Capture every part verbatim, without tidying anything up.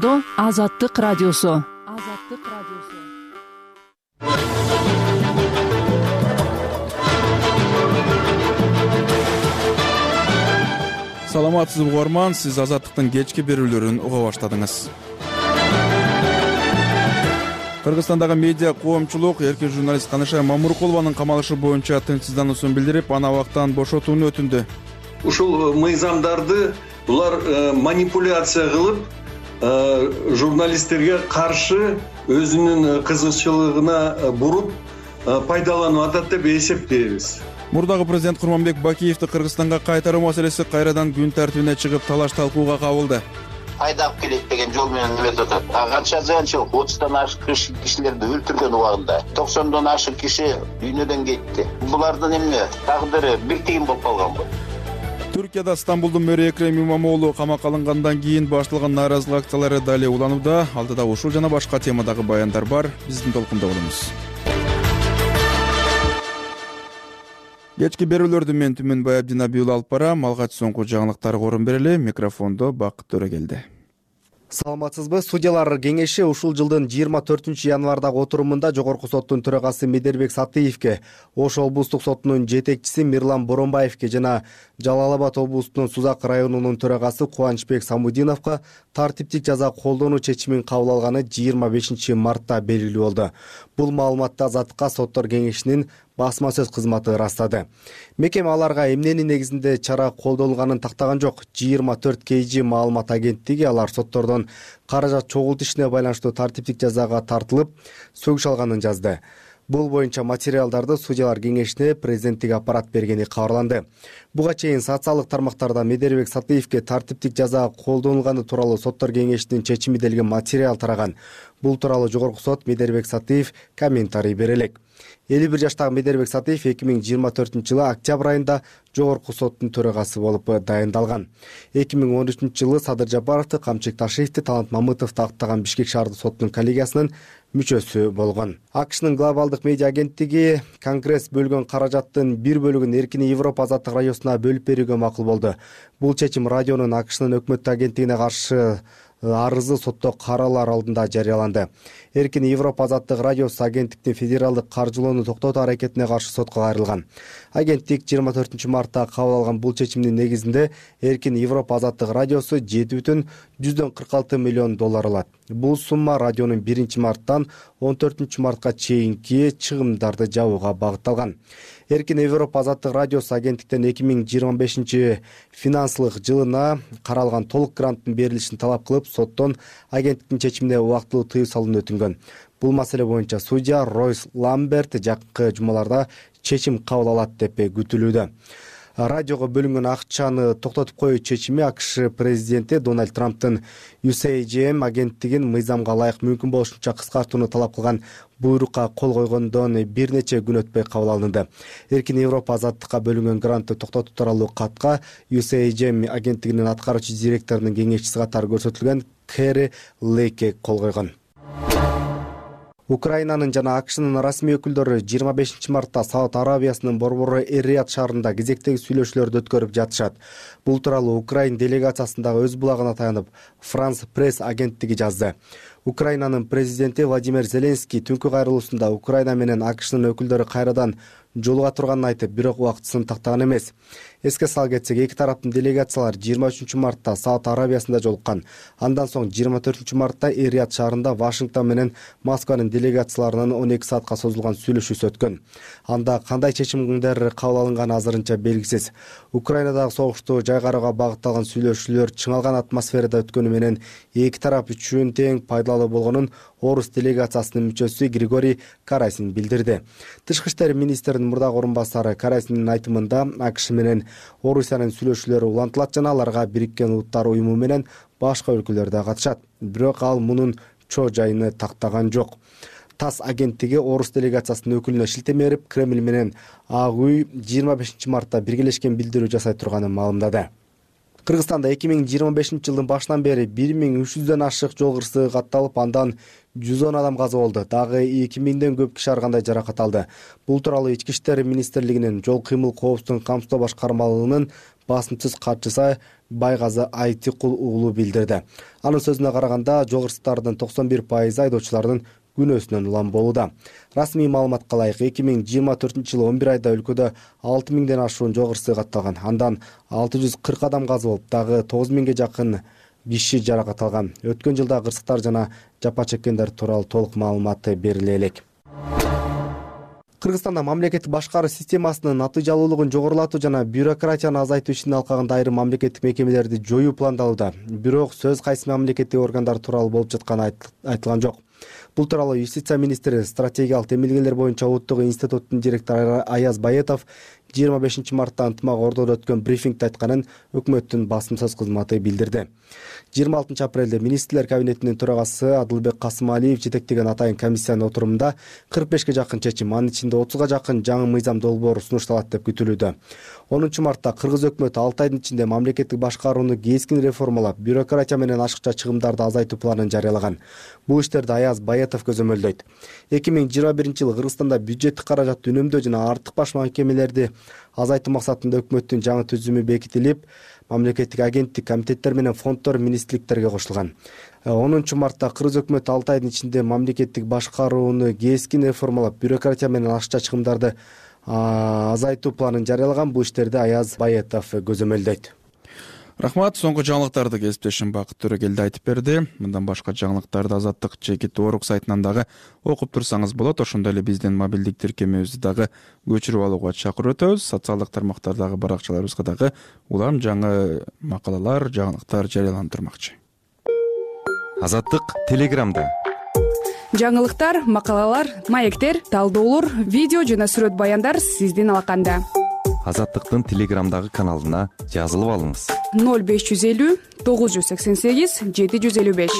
Жашоодо Азаттык радиосу. Азаттык радиосу. Саламатсызбы угарман, сиз Азаттыктын кечки берүүлөрүн уга баштадыңыз. Кыргызстандагы медиа коомчулук эркин журналист Канышай Мамуркулованын камалышы боюнча тынчсыздануусун билдирип, аны абактан бошотууну өтүндү. Ушул мыйзамдарды булар манипуляция кылып, журналисттерге каршы өзүнүн кызыкчылыгына буруп пайдаланып атат деп эсептейбиз. Мурдагы президент Курманбек Бакиевди Кыргызстанга кайтаруу маселеси кайрадан күн тартибине чыгып, талаш талкууга кабылды. Айдап келет деген жол менен эметип атат. Канча зыянчылык, отуздан ашык кишилерди өлтүргөн убагында, токсондон ашык киши дүйнөдөн кетти. Булардын эмне тагдыры бир тыйын болуп калганбы? Түркияда Стамбулдун мэрі Экрем Имамоğlu камакка алынгандан кийин башталган нааразылык акциялары дале уланууда. Алдыда ушул жана башка темадагы баяндар бар. Биздин толкунда болуңуз. Кечки берүүлөрдү мен Түмөнбай Абдинабиұлы алып барам. Алгач соңку жаңылыктарга орун берели. Микрофондо Бакыт Төрөгелди. Саламатсызбы? Судьялар кеңеши ушул жылдын жыйырма төртүнчү январдагы отурумунда Жогорку соттун төрагасы Медербек Сатыевке, Ош облустук сотунун жетекчиси Мирлан Боронбаевке жана Жалал Абад облустунун Сузак районунун төрагасы Кубанычбек Самудиновго тартиптик жаза колдонуу чечимин кабыл алганы жыйырма бешинчи мартта белгилүү болду. Бул маалыматты Азаттыкка соттор кеңешинин басма сөз кызматы ырастады. Мекеме аларга эмненин негизинде чара колдонулганын тактаган жок. жыйырма төрт кей жи маалымат агенттиги алар соттордон каражат чогултушуна байланыштуу тартиптик жазага тартылып, сөгүш алганын жазды. Бул боюнча материалдарды судьялар кеңешине президенттик аппарат бергени кабарланды. Буга чейин социалдык тармактарда Медербек Сатыевке тартиптик жаза колдонулганы тууралуу соттор кеңешинин чечими делген материал тараган. Бул тууралуу Жогорку сот Медербек Сатыев комментарий бере элек. элүү бир жаштагы Медербек Сатыев эки миң жыйырма төртүнчү жылы октябрь айында Жогорку соттун төрагасы болуп дайындалган. эки миң он үчүнчү жылы Садыр Жапаровду, Камчык Ташиевди, Талант Мамытовду аттаган Бишкек шаардык сотунун коллегиясынын мүчөсү болгон. АКШнын глобалдык медиа агенттиги Конгресс бөлгөн каражаттын бир бөлүгүн Эркин Европа азаттык радиосуна бөлүп берүүгө макул болду. Бул чечим радионун АКШнын өкмөттүк агенттигине каршы арызы сотто каралар алдында жарыяланды. Эркин Европа азаттык радиосу агенттиктин федералдык каржылоону токтотуу аракетине каршы сотко кайрылган. Агенттик жыйырма төртүнчү мартта кабыл алган бул чечимдин негизинде Эркин Европа азаттык радиосу жети бүтүн жүздөн кырк алты миллион доллар алат. Бул сумма радионун биринчи марттан он төртүнчү мартка чейинки чыгымдарды жабууга багытталган. Эркин Европа азаттык радиосу агенттиктен эки миң жыйырма бешинчи финансылык жылына каралган толук гранттын берилишин талап кылып, соттон агенттиктин чечимине убактылуу тыюу салууну өтүнгөн. Бул маселе боюнча судья Ройс Ламберт жакынкы жумаларда чечим кабыл алат деп күтүлүүдө. Радиого бөлүнгөн акчаны токтотуп коюу чечими АКШ президенти Дональд Трамптын ю эс эй джи эм агенттигин мыйзамга ылайык мүмкүн болушунча кыскартууну талап кылган буйрукка кол койгондон бир нече күн өтпөй кабыл алынды. Эркин Европа азаттыкка бөлүнгөн грантты токтотуу тууралуу катка ю эс эй джи эм агенттигинин аткаруучу директорунун кеңешчиси катары көрсөтүлгөн Кэри Лейке кол койгон. Украинанын жана АКШнын расмий өкүлдөрү жыйырма бешинчи мартта Сауд Арабиясынын борбору Эр-Рияд шаарында кезектеги сүйлөшүүлөрдү өткөрүп жатышат. Бул тууралуу Украин делегациясындагы өз булагына таянып Франс пресс агенттиги жазды. Украинанын президенти Владимир Зеленский түнкү кайрылуусунда Украина менен АКШнын өкүлдөрү кайрадан жолуга турганын айтып, бирок убактысын тактаган эмес. Эске сала кетсек, эки тараптын делегациялар жыйырма үчүнчү мартта Сауд Арабиясында жолуккан. Андан соң жыйырма төртүнчү мартта Эр-Рияд шаарында Вашингтон менен Москванын делегацияларынын он эки саатка созулган сүйлөшүүсү өткөн. Анда кандай чечимдер кабыл алынганы азырынча белгисиз. Украинадагы согушту жайгарууга багытталган сүйлөшүүлөр чыңалган атмосферада өткөнү менен эки тарап үчүн тең пайдалуу болгонун Орус делегациясынын мүчөсү Григорий Карасин билдирди. Тышкы иштер министринин мурдагы орун басары Карасиндин айтымында АКШ менен Орусиянын сүйлөшүүлөрү улантылат жана аларга Бириккен Улуттар уюму менен башка өлкөлөр да катышат. Бирок ал мунун чоо жайыны тактаган жок. ТАСС агенттиги Орус делегациясынын өкүлүнө шилтеме берип, Кремль менен Ак үй жыйырма бешинчи мартта биргелешкен билдирүү жасай турганын маалымдады. Кыргызстанда эки миң жыйырма бешинчи жылдын башынан бери бир миң үч жүздөн ашык жол кырсыгы катталып, андан жүз он адам каза болду. Дагы эки миңден көп киши ар кандай жаракат алды. Бул тууралуу Ички иштер министрлигинин жол кыймыл коопсуздугун камсыздоо башкармалыгынын басымсыз катчысы Байгазы Айтикул уулу билдирди. Анын сөзүнө караганда, жол кырсыктарынын токсон бир пайызы айдоочулардын күнөөсүнөн улам болууда. Расмий маалыматка ылайык, эки миң жыйырма төртүнчү жылы он бир айда өлкөдө алты миңден ашуун жол кырсыгы катталган. Андан алты жүз кырк адам каза болуп, дагы тогуз миңге жакын киши жаракат алган. Өткөн жылда кырсыктар жана жапа чеккендер тууралуу толук маалымат бериле элек. Кыргызстанда мамлекеттик башкаруу системасынын натыйжалуулугун жогорулатуу жана бюрократияны азайтуу ишинин алкагында айрым мамлекеттик мекемелерди жоюу пландалууда. Бирок сөз кайсы мамлекеттик органдар тууралуу болуп жатканы айтылган жок. Бул тууралуу Юстиция министри, стратегиялык демилгелер боюнча улуттук институттун директору Аяз Баетов жыйырма бешинчи мартта ынтымак ордодо өткөн брифингде айтканын өкмөттүн басымсыз кызматы билдирди. жыйырма алтынчы апрелде министрлер кабинетинин төрагасы Адылбек Касымалиев жетектеген атайын комиссиянын отурумунда кырк бешке жакын чечим, анын ичинде отузга жакын жаңы мыйзам долбоору сунушталат деп күтүлүүдө. онунчу мартта кыргыз өкмөтү алты айдын ичинде мамлекеттик башкарууну кескин реформалап, бюрократия менен ашыкча чыгымдарды азайтуу планын жарыялаган. Бул иштерди Аяз Баетов көзөмөлдөйт. эки миң жыйырма биринчи жылы Кыргызстанда бюджеттик каражатты үнөмдөө жана артык баш мекемелерди азайтуу максатында өкмөттүн жаңы түзүмү бекитилип, мамлекеттик агенттик, комитеттер менен фонддор министрликтерге кошулган. онунчу мартта кыргыз өкмөтү алты айдын ичинде мамлекеттик башкарууну кескин реформалап, бюрократия менен ашыкча чыгымдарды азайтуу планын жарыялаган. Бул иштерди Аяз Баетов көзөмөлдөйт. Рахмат, соңку жаңылыктарды кесиптешим Бакыт Төрөгелди айтып берди. Мындан башка жаңылыктарды Азаттык Чекит Орук сайтынан дагы окуп турсаңыз болот. Ошондой эле биздин мобилдик тиркемебизди дагы көчүрүп алууга чакырып өтөбүз. Социалдык тармактардагы баракчаларыбызга дагы улам жаңы макалалар, жаңылыктар жарыяланып турмакчы. Азаттык Телеграмда. Жаңылыктар, макалалар, маектер, талдоолор, видео жана сүрөт баяндар сиздин алаканда. Азаттыктын Телеграмдагы каналына жазылып алыңыз. ноль беш жүз элүү тогуз жүз сексен сегиз жети жүз элүү беш.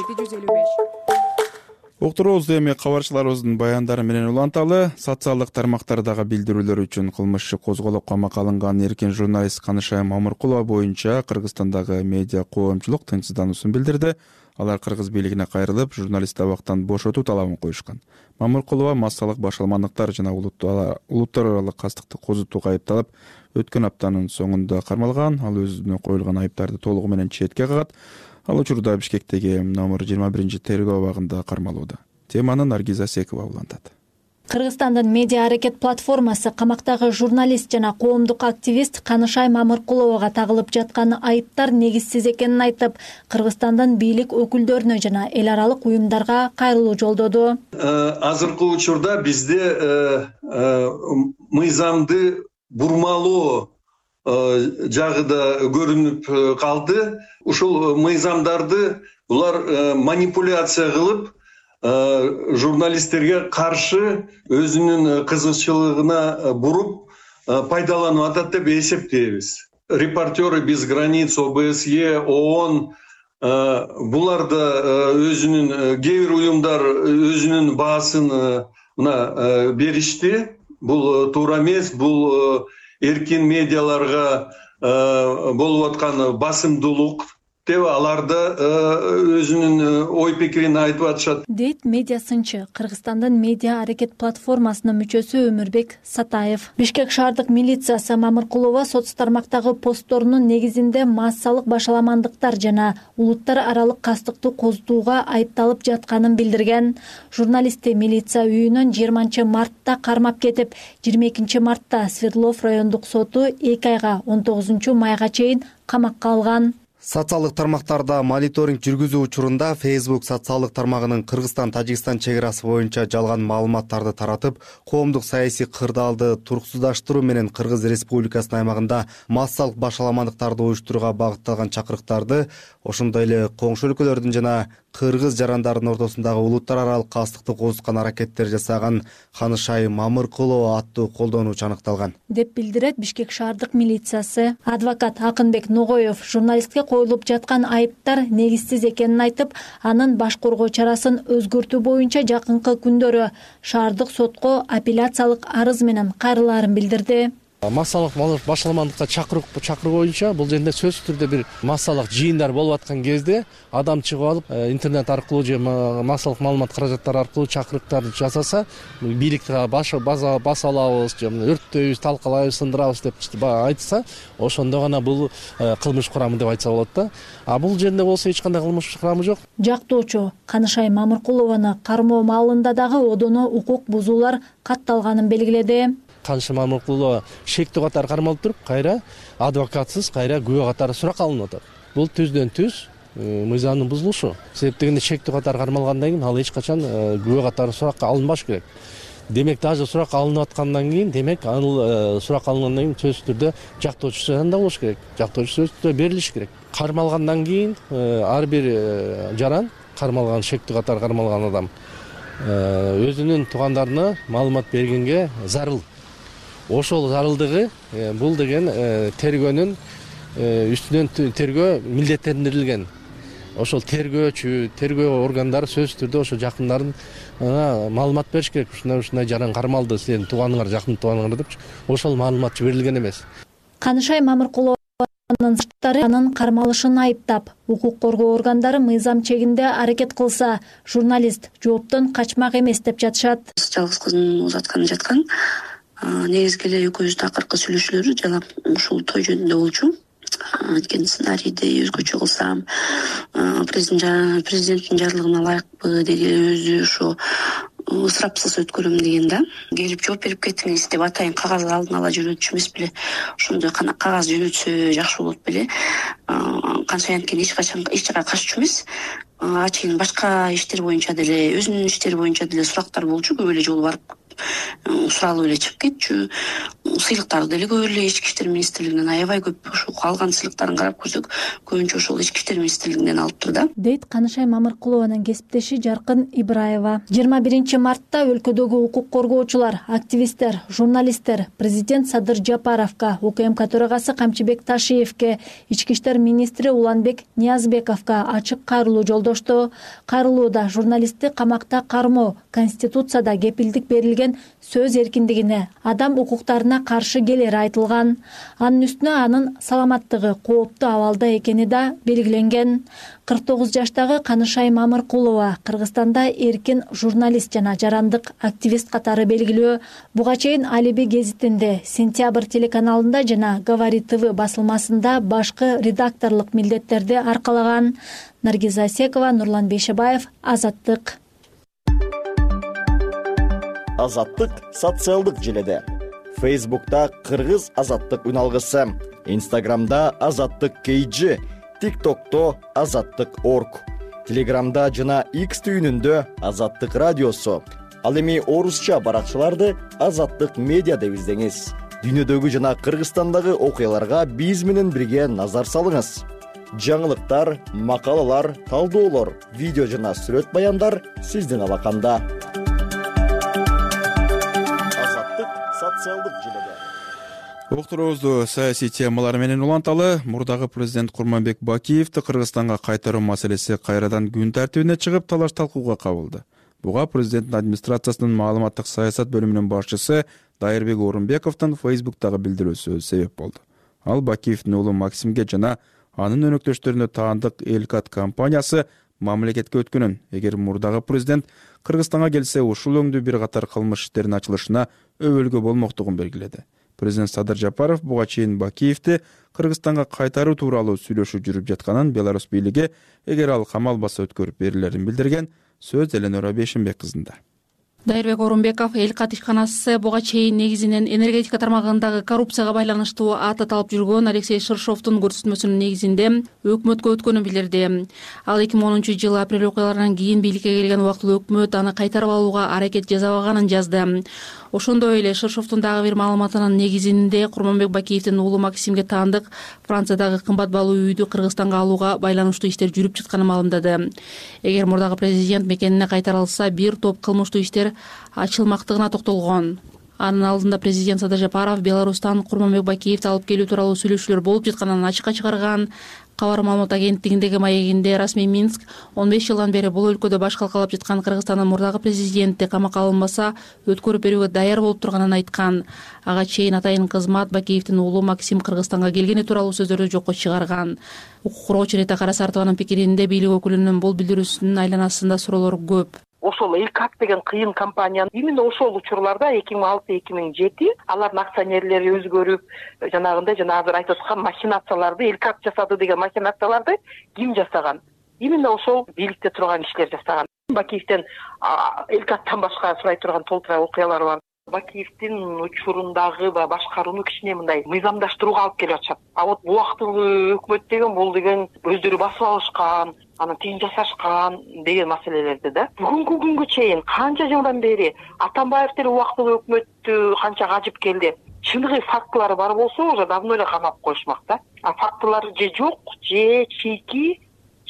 Уктуруубузду эми кабарчыларыбыздын баяндары менен уланталы. Социалдык тармактардагы билдирүүлөр үчүн кылмыш иши козголуп камакка алынган эркин журналист Канышай Мамыркулова боюнча Кыргызстандагы медиа коомчулук тынчсыздануусун билдирди. Алар кыргыз бийлигине кайрылып, журналистти абактан бошотуу талабын коюшкан. Мамыркулова массалык башаламандыктар жана улуттар аралык кастыкты козутууга айыпталып, өткөн аптанын соңунда кармалган. Ал өзүнө коюлган айыптарды толугу менен четке кагат. Ал учурда Бишкектеги номер жыйырма биринчи тергөө абагында кармалууда. Теманы Наргиза Секова улантат. Кыргызстандын медиа аракет платформасы камактагы журналист жана коомдук активист Канышай Мамыркуловага тагылып жаткан айыптар негизсиз экенин айтып, Кыргызстандын бийлик өкүлдөрүнө жана эл аралык уюмдарга кайрылуу жолдоду. Азыркы учурда бизде мыйзамды бурмалоо жагы да көрүнүп калды. Ушул мыйзамдарды булар манипуляция кылып, журналисттерге каршы өзүнүн кызыкчылыгына буруп пайдаланып атат деп эсептейбиз. Репортеры без границ, О Б С Е, ООН булар да өзүнүн кээ бир уюмдар өзүнүн баасын мына беришти. Бул туура эмес, бул эркин медиаларга болуп аткан басымдуулук деп аларда өзүнүн ой пикирин айтып атышат, дейт медиа сынчы, Кыргызстандын медиа аракет платформасынын мүчөсү Өмүрбек Сатаев. Бишкек шаардык милициясы Мамыркулова соц тармактагы постторунун негизинде массалык башаламандыктар жана улуттар аралык кастыкты козутууга айыпталып жатканын билдирген. Журналистти милиция үйүнөн жыйырманчы мартта кармап кетип, жыйырма экинчи мартта Свердлов райондук соту эки айга он тогузунчу майга чейин камакка алган. Социалдык тармактарда мониторинг жүргүзүү учурунда Facebook социалдык тармагынын Кыргызстан-Тажикстан чек арасы боюнча жалган маалыматтарды таратып, коомдук саясий кырдаалды туруксуздаштыруу менен Кыргыз Республикасынын аймагында массалык башаламандыктарды уюштурууга багытталган чакырыктарды, ошондой эле коңшу өлкөлөрдүн жана кыргыз жарандарынын ортосундагы улуттар аралык кастыкты козуткан аракеттер жасаган Канышай Мамыркулова аттуу колдонуучу аныкталган деп билдирет Бишкек шаардык милициясы. Адвокат Акынбек Ногоев журналистке коюлуп жаткан айыптар негизсиз экенин айтып, анын баш коргоо чарасын өзгөртүү боюнча жакынкы күндөрү шаардык сотко апелляциялык арыз менен кайрылаарын билдирди. Массалык башаламандыкка чакыруу чакыруу боюнча бул жерде сөзсүз түрдө бир массалык жыйындар болуп аткан кезде адам чыгып алып интернет аркылуу же массалык маалымат каражаттары аркылуу чакырыктар жасаса, бийликти баса алабыз же өрттөйбүз, талкалайбыз, сындырабыз деп айтса, ошондо гана бул кылмыш курамы деп айтса болот да. А бул жерде болсо эч кандай кылмыш курамы жок. Жактоочу Канышай Мамыркулованы кармоо маалында дагы одоно укук бузуулар катталганын белгиледи. Канышай Мамыркулова шектүү катары кармалып туруп, кайра адвокатсыз, кайра күбө катары сурак алынып атат. Бул түздөн түз мыйзамдын бузулушу. Себеп дегенде шектүү катары кармалгандан кийин ал эч качан күбө катары суракка алынбаш керек. Демек даже сурак алынып аткандан кийин, демек ал сурак алынгандан кийин сөзсүз түрдө жактоочусу жанында болуш керек. Жактоочу сөзсүз түрдө берилиш керек. Кармалгандан кийин ар бир жаран, кармалган шектүү катары кармалган адам өзүнүн туугандарына маалымат бергенге зарыл. Ошол зарылдыгы бул деген тергөөнүн үстүнөн тергөө милдеттендирилген. Ошол тергөөчү, тергөө органдары сөзсүз түрдө ошо жакындарын маалымат бериш керек. Ушундай ушундай жаран кармалды, сенин тууганыңар, жакын тууганыңар деп. Ошол маалыматчы берилген эмес. Канышай Мамыркулованын сырттары анын кармалышын айыптап, укук коргоо органдары мыйзам чегинде аракет кылса, журналист жооптон качмак эмес деп жатышат. Жалгыз кыздын узатканы жаткан. Негизги эле экөөбүздүн акыркы сүйлөшүүлөрү жана ушул той жөнүндө болчу. Анткени сценарийди өзгөчө кылсам, президенттин жарлыгына ылайыкпы деди, өзү ошо ысырапсыз өткөрөм деген да. Келип жооп берип кетиңиз деп атайын кагаз алдын ала жөнөтчү эмес беле. Ошондой кагаз жөнөтсө жакшы болот беле. Канча анткени эч качан эч жака каччу эмес. Ачыгын башка иштер боюнча деле, өзүнүн иштери боюнча деле сурактар болчу, көп эле жолу барып суралып эле чыгып кетчү. Сыйлыктарды деле көп эле ички иштер министрлигинен аябай көп, ошо калган сыйлыктарын карап көрсөк, көбүнчө ошол ички иштер министрлигинен алыптыр да. Дейт Канышай Мамыркулованын кесиптеши Жаркын Ибраева. жыйырма биринчи мартта өлкөдөгү укук коргоочулар, активисттер, журналисттер президент Садыр Жапаровго, УКМК төрагасы Камчыбек Ташиевке, ички иштер министри Уланбек Ниязбековго ачык кайрылуу жолдошту. Кайрылууда журналистти камакта кармоо, Конституцияда кепилдик берилген сөз эркиндигине, адам укуктарына каршы келери айтылган. Анын үстүнө анын саламаттыгы кооптуу абалда экени да белгиленген. кырк тогуз жаштагы Канышай Мамыркулова Кыргызстанда эркин журналист жана жарандык активист катары белгилүү. Буга чейин Алиби гезитинде, Сентябрь телеканалында жана Говори ТВ басылмасында башкы редакторлук милдеттерди аркалаган. Наргиза Асекова, Нурлан Бейшебаев, Азаттык. Азаттык социалдык желеде. Фейсбукта Кыргыз Азаттык үналгысы, Инстаграмда Азаттык кей джи, ТикТокто Азаттык точка орг, Телеграмда жана X түйүнүндө Азаттык радиосу. Ал эми орусча баракчаларды Азаттык медиа деп издеңиз. Дүйнөдөгү жана Кыргызстандагы окуяларга биз менен бирге назар салыңыз. Жаңылыктар, макалалар, талдоолор, видео жана сүрөт баяндар сиздин алаканда. Социалдык желеде. Уктуруубузду саясий темалар менен уланталы. Мурдагы президент Курманбек Бакиевди Кыргызстанга кайтаруу маселеси кайрадан күн тартибине чыгып, талаш талкууга кабылды. Буга президенттин администрациясынын маалыматтык саясат бөлүмүнүн башчысы Дайырбек Орунбековдун Фейсбуктагы билдирүүсү себеп болду. Ал Бакиевдин уулу Максимге жана анын өнөктөштөрүнө таандык Элкат компаниясы мамлекетке өткөнүн, эгер мурдагы президент Кыргызстанга келсе, ушул өңдүү бир катар кылмыш иштеринин ачылышына өбөлгө болмоктугун белгиледи. Президент Садыр Жапаров буга чейин Бакиевди Кыргызстанга кайтаруу тууралуу сүйлөшүү жүрүп жатканын Беларусь бийлиги, эгер ал камалбаса өткөрүп берилерин билдирген. Сөз Эленора Бейшенбек кызында. Дайырбек Орунбеков Элкат ишканасы буга чейин негизинен энергетика тармагындагы коррупцияга байланыштуу ат аталып жүргөн Алексей Шершовдун көрсөтмөсүнүн негизинде өкмөткө өткөнүн билдирди. Ал эки миң онунчу жылы апрель окуяларынан кийин бийликке келген убактылуу өкмөт аны кайтарып алууга аракет жасабаганын жазды. Ошондой эле Шершовдун дагы бир маалыматынын негизинде Курманбек Бакиевдин уулу Максимге таандык Франциядагы кымбат баалуу үйдү Кыргызстанга алууга байланыштуу иштер жүрүп жатканын маалымдады. Эгер мурдагы президент мекенине кайтарылса, бир топ кылмыштуу иштер ачылмактыгына токтолгон. Анын алдында президент Садыр Жапаров Беларустан Курманбек Бакиевди алып келүү тууралуу сүйлөшүүлөр болуп жатканын ачыкка чыгарган. Кабар маалымат агенттигиндеги маегинде расмий Минск он беш жылдан бери бул өлкөдө баш калкалап жаткан Кыргызстандын мурдагы президенти камакка алынбаса өткөрүп берүүгө даяр болуп турганын айткан. Ага чейин атайын кызмат Бакиевдин уулу Максим Кыргызстанга келгени тууралуу сөздөрдү жокко чыгарган. Укук коргоочу Рита Карасартованын пикиринде бийлик өкүлүнүн бул билдирүүсүнүн айланасында суроолор көп. Ошол Элкат деген кыйын компания именно ошол учурларда эки миң алты эки миң жети алардын акционерлери өзгөрүп, жанагындай жана азыр айтып аткан махинацияларды Элкат жасады деген махинацияларды ким жасаган? Именно ошол бийликте турган кишилер жасаган. Бакиевден Элкаттан башка сурай турган толтура окуялар бар. Бакиевдин учурундагы башкарууну кичине мындай мыйзамдаштырууга алып келип атышат. А вот убактылуу өкмөт деген бул деген өздөрү басып алышкан, анан тыйын жасашкан деген маселелерди да. Бүгүнкү күнгө чейин канча жылдан бери Атамбаев деле убактылуу өкмөттү канча кажып келди. Чыныгы фактылары бар болсо, уже давно эле камап коюшмак да. А фактылары же жок, же чийки,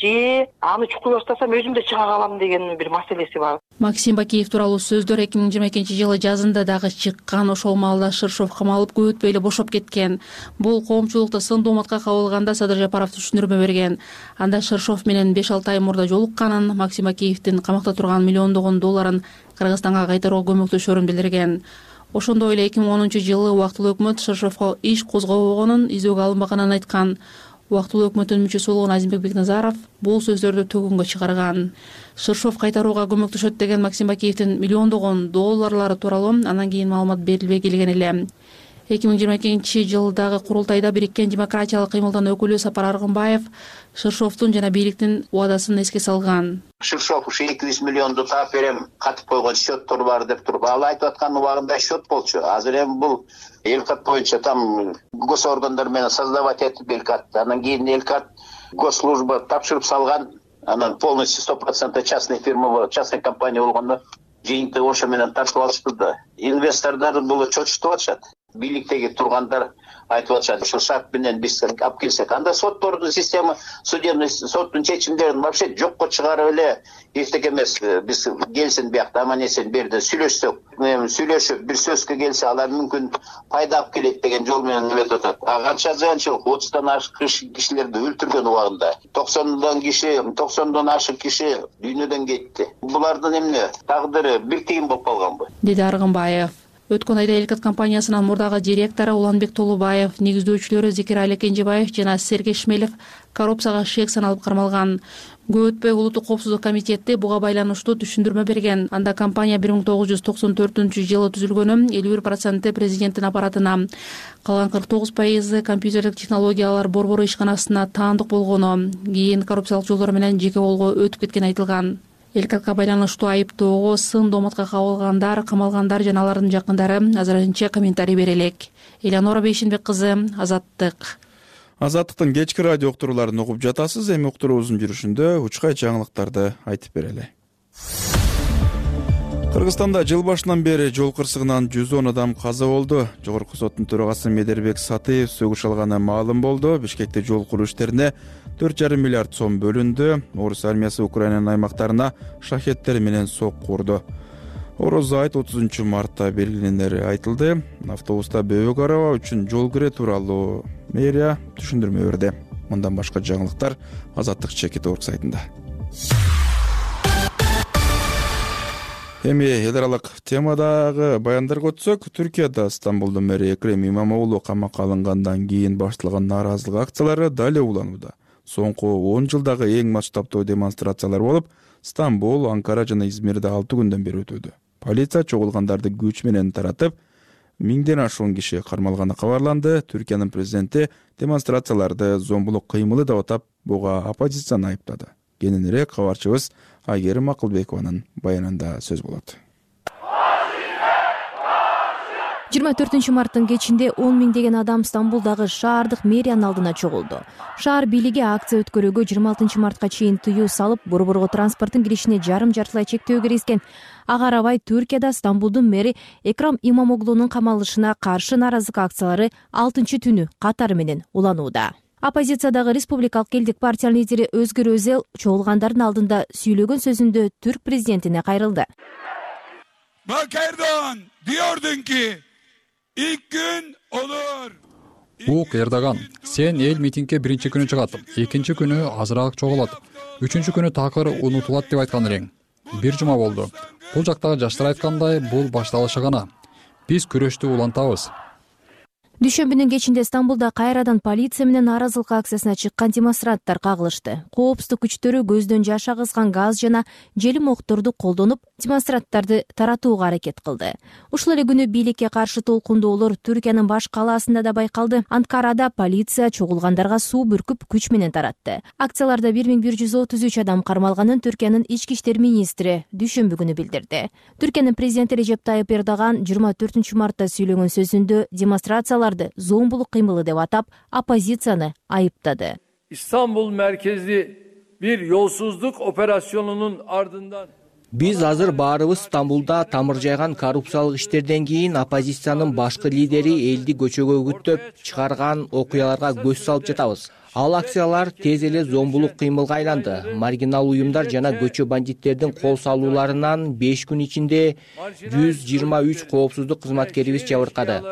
же аны чукуй баштасам өзүм да чыга калам деген бир маселеси бар. Максим Бакиев тууралуу сөздөр эки миң жыйырма экинчи жылы жазында дагы чыккан. Ошол маалда Шыршов камалып көп өтпөй эле бошоп кеткен. Бул коомчулукта сын дооматка кабылганда Садыр Жапаров түшүндүрмө берген. Анда Шыршов менен беш алты ай мурда жолукканын, Максим Бакиевдин камакта турган миллиондогон долларын Кыргызстанга кайтарууга көмөктөшөрүн билдирген. Ошондой эле эки миң онунчу жылы убактылуу өкмөт Шыршовго иш козгобогонун, издөөгө алынбаганын айткан. Убактылуу өкмөттүн мүчөсү болгон Азимбек Бекназаров бул сөздөрдү төгүнгө чыгарган. Шыршов кайтарууга көмөктөшөт деген Максим Бакиевдин миллиондогон долларлары тууралуу андан кийин маалымат берилбей келген эле. эки миң жыйырма экинчи жылдагы курултайда Бириккен демократиялык кыймылдын өкүлү Сапар Аргынбаев Шыршовдун жана бийликтин убадасын эске салган. Шыршов ушу эки жүз миллионду таап берем, катып койгон счеттор бар деп туруп, ал айтып аткан убагында счет болчу. Азыр эми бул Элкат боюнча там госоргандар менен создавать этип Элкат, анан кийин Элкат госслужба тапшырып салган, анан полностью сто процентов частный фирма, частный компания болгондо жыйынтыгы ошо менен тартып алышты да. Инвестордор бул чочутуп атышат. Бийликтеги тургандар айтып атышат, ушул шарт менен биз алып келсек, анда соттордун система, судебный соттун чечимдерин вообще жокко чыгарып эле эчтеке эмес, биз келсин биякта аман эсен берди сүйлөшсөк, сүйлөшүп бир сөзгө келсе алар мүмкүн пайда алып келет деген жол менен эметип атат. А канча зыянчылык, отуздан ашык кишилерди өлтүргөн убагында, токсондон киши, токсондон ашык киши дүйнөдөн кетти. Булардын эмне тагдыры бир тыйын болуп калганбы? Деди Аргынбаев. Өткөн айда Элкат компаниясынын мурдагы директору Уланбек Толубаев, негиздөөчүлөрү Зекирали Кенжебаев жана Сергей Шмелев коррупцияга шек саналып кармалган. Көп өтпөй Улуттук коопсуздук комитети буга байланыштуу түшүндүрмө берген. Анда компания бир миң тогуз жүз токсон төртүнчү жылы түзүлгөнү, элүү бир проценти президенттин аппаратына, калган кырк тогуз пайызы компьютерлик технологиялар борбору ишканасына таандык болгону, кийин коррупциялык жолдор менен жеке колго өтүп кеткени айтылган. Элкатка байланыштуу айыптоого сын дооматка кабылгандар, камалгандар жана алардын жакындары азырынча комментарий бере элек. Элеонора Бейшенбек кызы, Азаттык. Азаттыктын кечки радио уктурууларын угуп жатасыз. Эми уктуруубуздун жүрүшүндө учкай жаңылыктарды айтып берели. Кыргызстанда жыл башынан бери жол кырсыгынан жүз он адам каза болду. Жогорку соттун төрагасы Медербек Сатыев сөгүш алганы маалым болду. Бишкекте жол куруу иштерине төрт жарым миллиард сом бөлүндү. Орус армиясы Украинанын аймактарына шахеттер менен сок курду. Ороз айт отузунчу мартта белгиленери айтылды. Автобуста бөбөк араба үчүн жол кире тууралуу мэрия түшүндүрмө берди. Мындан башка жаңылыктар Азаттык чекит орг сайтында. Эми эл аралык темадагы баяндарга өтсөк, Түркияда Стамбулдун мэри Экрем Имамоглу камакка алынгандан кийин башталган нааразылык акциялары дали уланууда. Соңку он жылдагы эң масштабтуу демонстрациялар болуп, Стамбул, Анкара жана Измирде алты күндөн бери өтүүдө. Полиция чогулгандарды күч менен таратып, миңден ашуун киши кармалганы кабарланды. Түркиянын президенти демонстрацияларды зомбулук кыймылы деп атап, буга оппозицияны айыптады. Кененирээк кабарчыбыз Айгерим Акылбекованын баянында сөз болот. жыйырма төртүнчү марттын кечинде он миңдеген адам Стамбулдагы шаардык мэриянын алдына чогулду. Шаар бийлиги акция өткөрүүгө жыйырма алтынчы мартка чейин тыюу салып, борборго транспорттун киришине жарым жартылай чектөө киргизген. Ага арабай Түркияда Стамбулдун мэри Экрам Имамоглунун камалышына каршы нааразылык акциялары алтынчы түнү катары менен уланууда. Оппозициядагы Республикалык элдик партиянын лидери Өзгүр Өзел чогулгандардын алдында сүйлөгөн сөзүндө түрк президентине кайрылды. Bak Erdoğan diyordun ki ilk gün olur. Ук Эрдоган, сен эл митингге биринчи күнү чыгат, экинчи күнү азыраак чогулат, үчүнчү күнү такыр унутулат деп айткан элең. Бир жума болду. Бул жактагы жаштар айткандай, бул башталышы гана. Биз күрөштү улантабыз. Дүйшөмбүнүн кечинде Стамбулда кайрадан полиция менен нааразылык акциясына чыккан демонстранттар кагылышты. Коопсуздук күчтөрү көздөн жаш агызган газ жана желим окторду колдонуп, демонстранттарды таратууга аракет кылды. Ушул эле күнү бийликке каршы толкундоолор Түркиянын баш калаасында да байкалды. Анкарада полиция чогулгандарга суу бүркүп күч менен таратты. Акцияларда бир миң бир жүз отуз үч адам кармалганын Түркиянын ички иштер министри дүйшөмбү күнү билдирди. Түркиянын президенти Режеп Тайып Эрдоган жыйырма төртүнчү мартта сүйлөгөн сөзүндө демонстрациялар зомбулук кыймылы деп атап, оппозицияны айыптады. İstanbul merkezli bir yolsuzluk operasyonunun ardından Биз азыр баарыбыз Стамбулда тамыр жайган коррупциялык иштерден кийин оппозициянын башкы лидери элди көчөгө үгүттөп чыгарган окуяларга көз салып жатабыз. Ал акциялар тез эле зомбулук кыймылга айланды. Маргинал уюмдар жана көчө бандиттердин кол салууларынан беш күн ичинде жүз жыйырма үч коопсуздук кызматкерибиз жабыркады.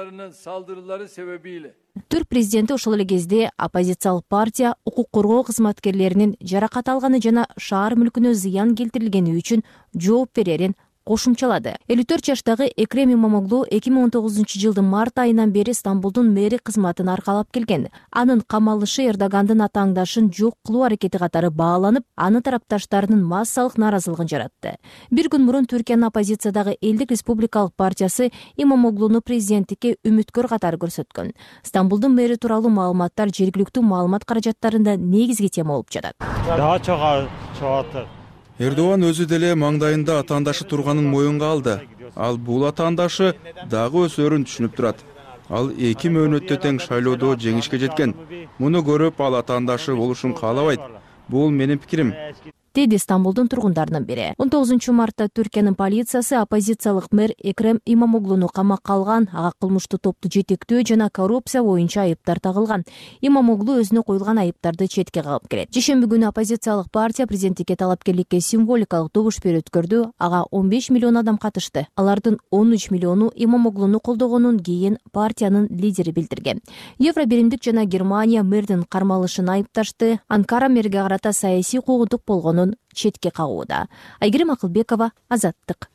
Түрк президенти ошол эле кезде оппозициялык партия укук коргоо кызматкерлеринин жаракат алганы жана шаар мүлкүнө зыян келтирилгени үчүн жооп берерин кошумчалады. элүү төрт жаштагы Экрем Имамоглу эки миң он тогузунчу жылдын март айынан бери Стамбулдун мэри кызматын аркалап келген. Анын камалышы Эрдогандын атааңдашын жок кылуу аракети катары бааланып, анын тарапташтарынын массалык нааразылыгын жаратты. Бир күн мурун Түркиянын оппозициядагы Элдик республикалык партиясы Имамоглуну президенттикке үмүткөр катары көрсөткөн. Стамбулдун мэри тууралуу маалыматтар жергиликтүү маалымат каражаттарында негизги тема болуп жатат. Эрдоган өзү деле маңдайында атаандашы турганын моюнга алды. Ал бул атаандашы дагы өсөрүн түшүнүп турат. Ал эки мөөнөттө тең шайлоодо жеңишке жеткен. Муну көрүп ал атаандашы болушун каалабайт. Бул менин пикирим, деди Стамбулдун тургундарынын бири. он тогузунчу мартта Түркиянын полициясы оппозициялык мэр Экрем Имамоглуну камакка алган, ага кылмыштуу топту жетектөө жана коррупция боюнча айыптар тагылган. Имамоглу өзүнө коюлган айыптарды четке кагып келет. Жешемби күнү оппозициялык партия президенттикке талапкерликке символикалык добуш берүү өткөрдү. Ага он беш миллион адам катышты. Алардын он үч миллиону Имамоглуну колдогонун кийин партиянын лидери билдирген. Евро биримдик жана Германия мэрдин кармалышын айыпташты. Анкара мэрге карата саясий куугунтук болгонун четке кагууда. Айгерим Акылбекова, Азаттык.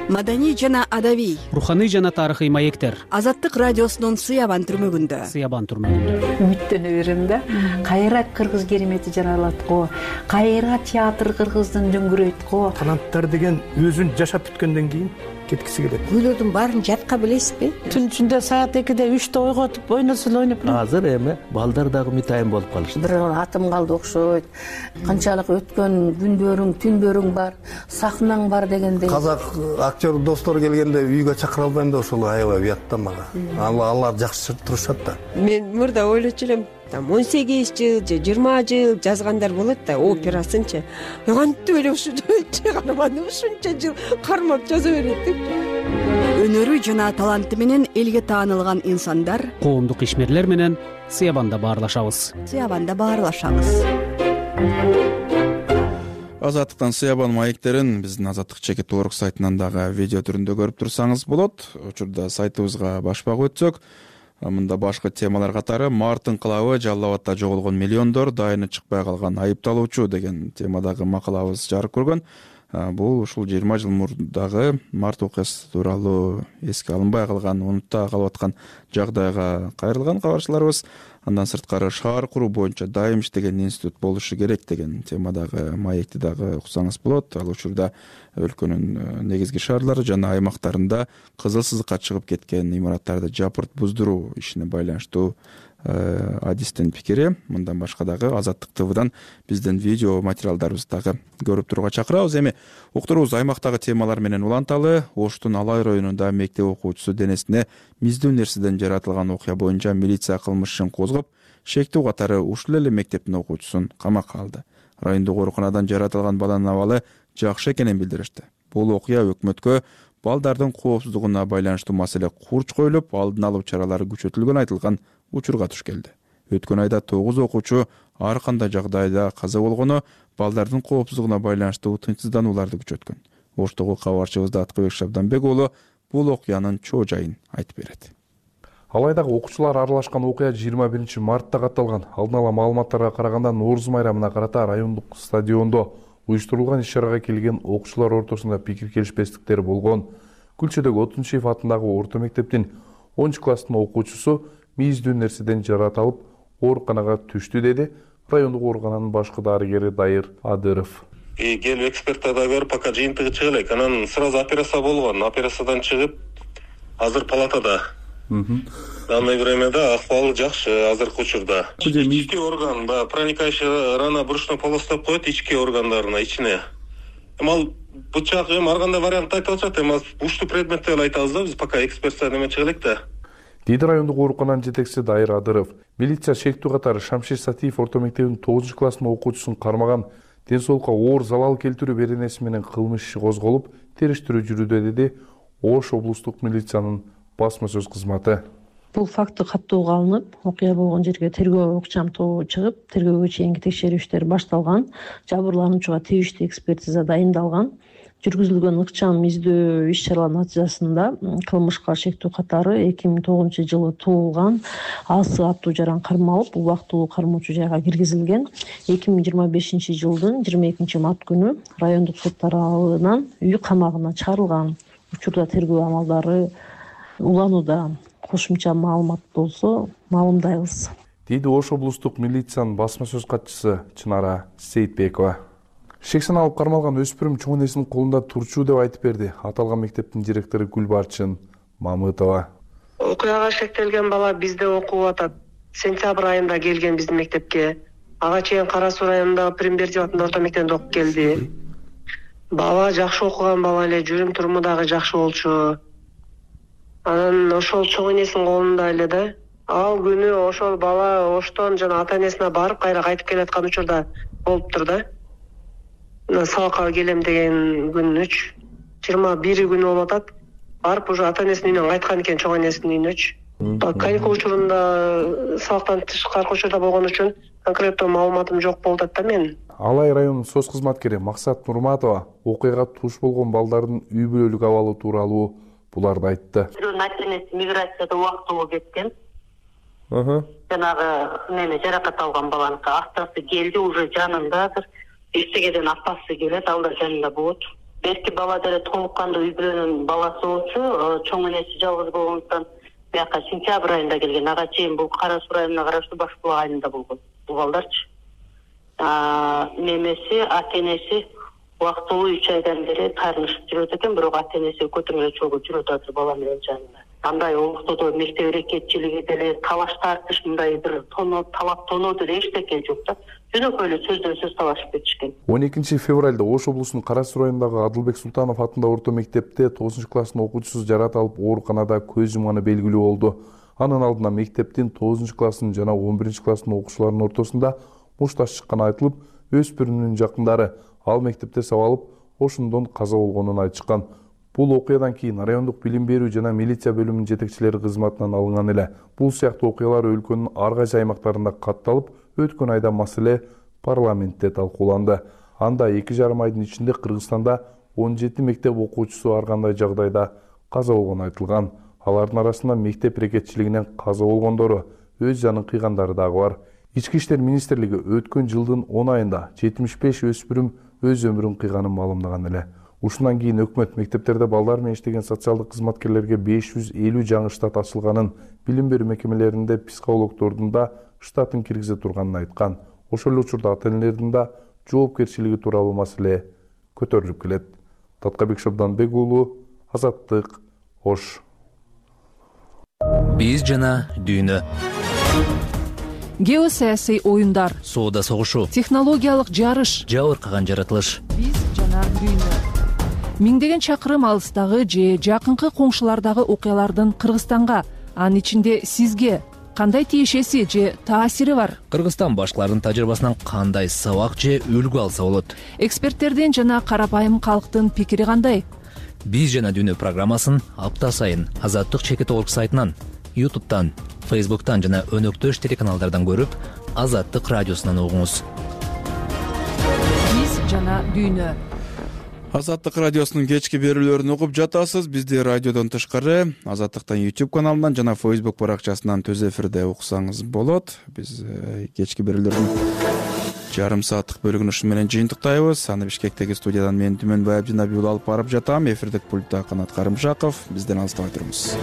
Маданий жана адабий, руханий жана тарыхый маектер. Азаттык радиосунун Сыябан түрмөгүндө. Сыябан түрмөгүндө. Үмүттөнө берем да. Кайра кыргыз керемети жаралат го. Кайра театр кыргыздын дөңгүрөйт го. Таланттар деген өзүн жашап бүткөндөн кийин кеткиси келет. Күйлөрдүн баарын жатка билесизби? Түн ичинде саат экиде үчтө ойготуп ойносун ойноп. Азыр эми балдар дагы митайым болуп калышты. Бир атым калды окшойт. Канчалык өткөн күндөрүң, түндөрүң бар, сахнаң бар дегендей. Казак актер достор келгенде үйгө чакыра албайм да, ошол аябай уят да мага. Алар жакшы турушат да. Мен мурда ойлочу элем, там он сегиз жыл же жыйырма жыл жазгандар болот да, операсынчы. Кантип эле ушунча карман, ушунча жыл кармап жаза берет деп. Өнөрү жана таланты менен элге таанылган инсандар, коомдук ишмерлер менен Сыябанда баарлашабыз. Сыябанда баарлашабыз. Азаттыктан Сыябан маектерин биздин Азаттык чекит толорок сайтынан дагы видео түрүндө көрүп турсаңыз болот. Учурда сайтыбызга башпак өтсөк, мында башкы темалар катары март инкылабы, Жалал Абадда жоголгон миллиондор, дайыны чыкпай калган айыпталуучу деген темадагы макалабыз жарык көргөн. Бул ушул жыйырма жыл мурдагы март окуясы тууралуу эске алынбай калган, унутта калып аткан жагдайга кайрылган кабарчыларыбыз. Андан сырткары шаар куруу боюнча дайым иштеген институт болушу керек деген темадагы маекти дагы уксаңыз болот. Ал учурда өлкөнүн негизги шаарлары жана аймактарында кызыл сызыкка чыгып кеткен имараттарды жапырт буздуруу ишине байланыштуу адистин пикири. Мындан башка дагы Азаттык ТВдан биздин видео материалдарыбызды дагы көрүп турууга чакырабыз. Эми уктуруубуз аймактагы темалар менен уланталы. Оштун Алай районунда мектеп окуучусу денесине миздүү нерседен жаратылган окуя боюнча милиция кылмыш ишин козгоп, шектүү катары ушул эле мектептин окуучусун камакка алды. Райондук ооруканадан жаратылган баланын абалы жакшы экенин билдиришти. Бул окуя өкмөткө балдардын коопсуздугуна байланыштуу маселе курч коюлуп, алдын алуу чаралары күчөтүлгөн айтылган учурга туш келди. Өткөн айда тогуз окуучу ар кандай жагдайда каза болгону, балдардын коопсуздугуна байланыштуу тынчсызданууларды күчөткөн. Оштогу кабарчыбыз Аткыбек Шабданбек уулу бул окуянын чоо жайын айтып берет. Алайдагы окуучулар аралашкан окуя жыйырма биринчи мартта катталган. Алдын ала маалыматтарга караганда Нооруз майрамына карата райондук стадиондо уюштурулган иш-чарага келген окуучулар ортосунда пикир келишпестиктер болгон. Күлчөдөгү Отунчиев атындагы орто мектептин онунчу класстын окуучусу мийиздүү нерседен жаратылып ооруканага түштү деди райондук оорукананын башкы дарыгери Дайыр Адыров. Келип эксперттарда көрүп, пока жыйынтыгы чыга элек, анан сразу операция болгон. Операциядан чыгып, азыр палатада. Данное времяда акыбалы жакшы азыркы учурда. Ички орган, проникающий рана брюшной полосу деп коет ички органдарына, ичине. Эми ал бычак, эми ар кандай вариант айтып атышат, эми уштуу предметтер эле айтабыз да, биз пока экспертиза неме чыга элек да. Дейди райондук оорукананын жетекчиси Дайыр Адыров. Милиция шектүү катары Шамшир Сатиев орто мектебинин тогузунчу класстын окуучусун кармаган, ден соолукка оор залал келтирүү беренеси менен кылмыш иши козголуп, териштирүү жүрүүдө деди Ош облустук милициянын басма сөз кызматы. Бул факты каттоого алынып, окуя болгон жерге тергөө укчам тобу чыгып, тергөөгө чейинки текшерүү иштери башталган. Жабырлануучуга тийиштүү экспертиза дайындалган. Жүргүзүлгөн ыкчам издөө иш-чаралар натыйжасында кылмышка шектүү катары эки миң тогузунчу жылы туулган Асы аттуу жаран кармалып, убактылуу кармоочу жайга киргизилген. эки миң жыйырма бешинчи жылдын жыйырма экинчи март күнү райондук сот тарабынан үй камагына чыгарылган. Учурда тергөө амалдары уланууда. Кошумча маалымат болсо маалымдайбыз. Дейди Ош облустук милициянын басма сөз катчысы Чынара Сейитбекова. Шексен алып кармалган өспүрүм чоң энесинин колунда турчу деп айтып берди аталган мектептин директору Гүлбарчын Мамытова. Окуяга шектелген бала бизде окуп атат. Сентябрь айында келген биздин мектепке. Ага чейин Кара Суу районундагы Примбердиев атындагы орто мектепте окуп келди. Бала жакшы окуган бала эле, жүрүм туруму дагы жакшы болчу. Анан ошол чоң энесинин колунда эле да. Ал күнү ошол бала Оштон жана ата энесине барып, кайра кайтып келаткан учурда болуптур да. Сабакка келем деген күнүч жыйырма бир күнү болуп атат. Барып уже ата энесинин үйүнөн кайткан экен, чоң энесинин үйүнөчү. Каникул учурунда сабактан тышкаркы учурда болгон үчүн конкреттүү маалыматым жок болуп атат да менин. Алай районунун соц кызматкери Максат Нурматова окуяга туш болгон балдардын үй бүлөлүк абалы тууралуу буларды айтты. Бирөөнүн ата энеси миграцияда убактылуу кеткен. Жанагы неме жаракат алган баланыкы актасы келди, уже жанындадыр. Эртегеден апасы келет, ал да жанында болот. Берки бала деле толук кандуу үй бүлөнүн баласы болчу, чоң энеси жалгыз болгондуктан бияка сентябрь айында келген. Ага чейин бул Кара Суу районуна караштуу Баш Булак айылында болгон бул балдарчы. Немеси, ата энеси убактылуу үч айдан бери таарынышып жүрөт экен, бирок ата энеси көтөрмө чогуу жүрөт азыр бала менен жанында. Андай октодо мектеп эрекетчилиги деле талаш тартыш, мындай бир тоно талап тоноо деле эчтеке жок да. Жөнөкөй эле сөздөн сөз талашып кетишкен. он экинчи февралда Ош облусунун Кара Суу районундагы Адылбек Султанов атындагы орто мектепте тогузунчу класстын окуучусу жаратылып ооруканада көз жумганы белгилүү болду. Анын алдына мектептин тогузунчу класстын жана он биринчи класстын окуучуларынын ортосунда мушташ чыкканы айтылып, өспүрүмдүн жакындары ал мектепте сабалып, ошондон каза болгонун айтышкан. Бул окуядан кийин райондук билим берүү жана милиция бөлүмүнүн жетекчилери кызматынан алынган эле. Бул сыяктуу окуялар өлкөнүн ар кайсы аймактарында катталып, өткөн айда маселе парламентте талкууланды. Анда эки жарым айдын ичинде Кыргызстанда он жети мектеп окуучусу ар кандай жагдайда каза болгону айтылган. Алардын арасында мектеп эрекетчилигинен каза болгондору, өз жанын кыйгандары дагы бар. Ички иштер министрлиги өткөн жылдын он айында жетимиш беш өспүрүм өз өмүрүн кыйганын маалымдаган эле. Ушундан кийин өкмөт мектептерде балдар менен иштеген социалдык кызматкерлерге беш жүз элүү жаңы штат ачылганын, билим берүү мекемелеринде психологдордун да штатын киргизе турганын айткан. Ошол эле учурда ата энелердин да жоопкерчилиги тууралуу маселе көтөрүлүп келет. Таткабек Шабданбек уулу, Азаттык, Ош. Биз жана дүйнө. Геосаясий оюндар, соода согушу, технологиялык жарыш, жабыркаган жаратылыш. Биз жана дүйнө. Миңдеген чакырым алыстагы же жакынкы коңшулардагы окуялардын Кыргызстанга, анын ичинде сизге кандай тиешеси же таасири бар? Кыргызстан башкалардын тажрыйбасынан кандай сабак же үлгү алса болот? Эксперттердин жана карапайым калктын пикири кандай? Биз жана дүйнө программасын апта сайын Азаттык чекит орг сайтынан, ютубтан, фейсбуктан жана өнөктөш телеканалдардан көрүп, Азаттык радиосунан угуңуз. Биз жана дүйнө. Азаттык радиосунун кечки берүүлөрүн угуп жатасыз. Бизди радиодон тышкары Азаттыктын YouTube каналынан жана Facebook баракчасынан түз эфирде уксаңыз болот. Биз кечки берүүлөрдүн жарым сааттык бөлүгүн ушу менен жыйынтыктайбыз. Аны Бишкектеги студиядан мен Түмөнбай Абдинабиул алып барып жатам. Эфирдик пультта Канат Карымшаков. Бизден алыстабай туруңуз.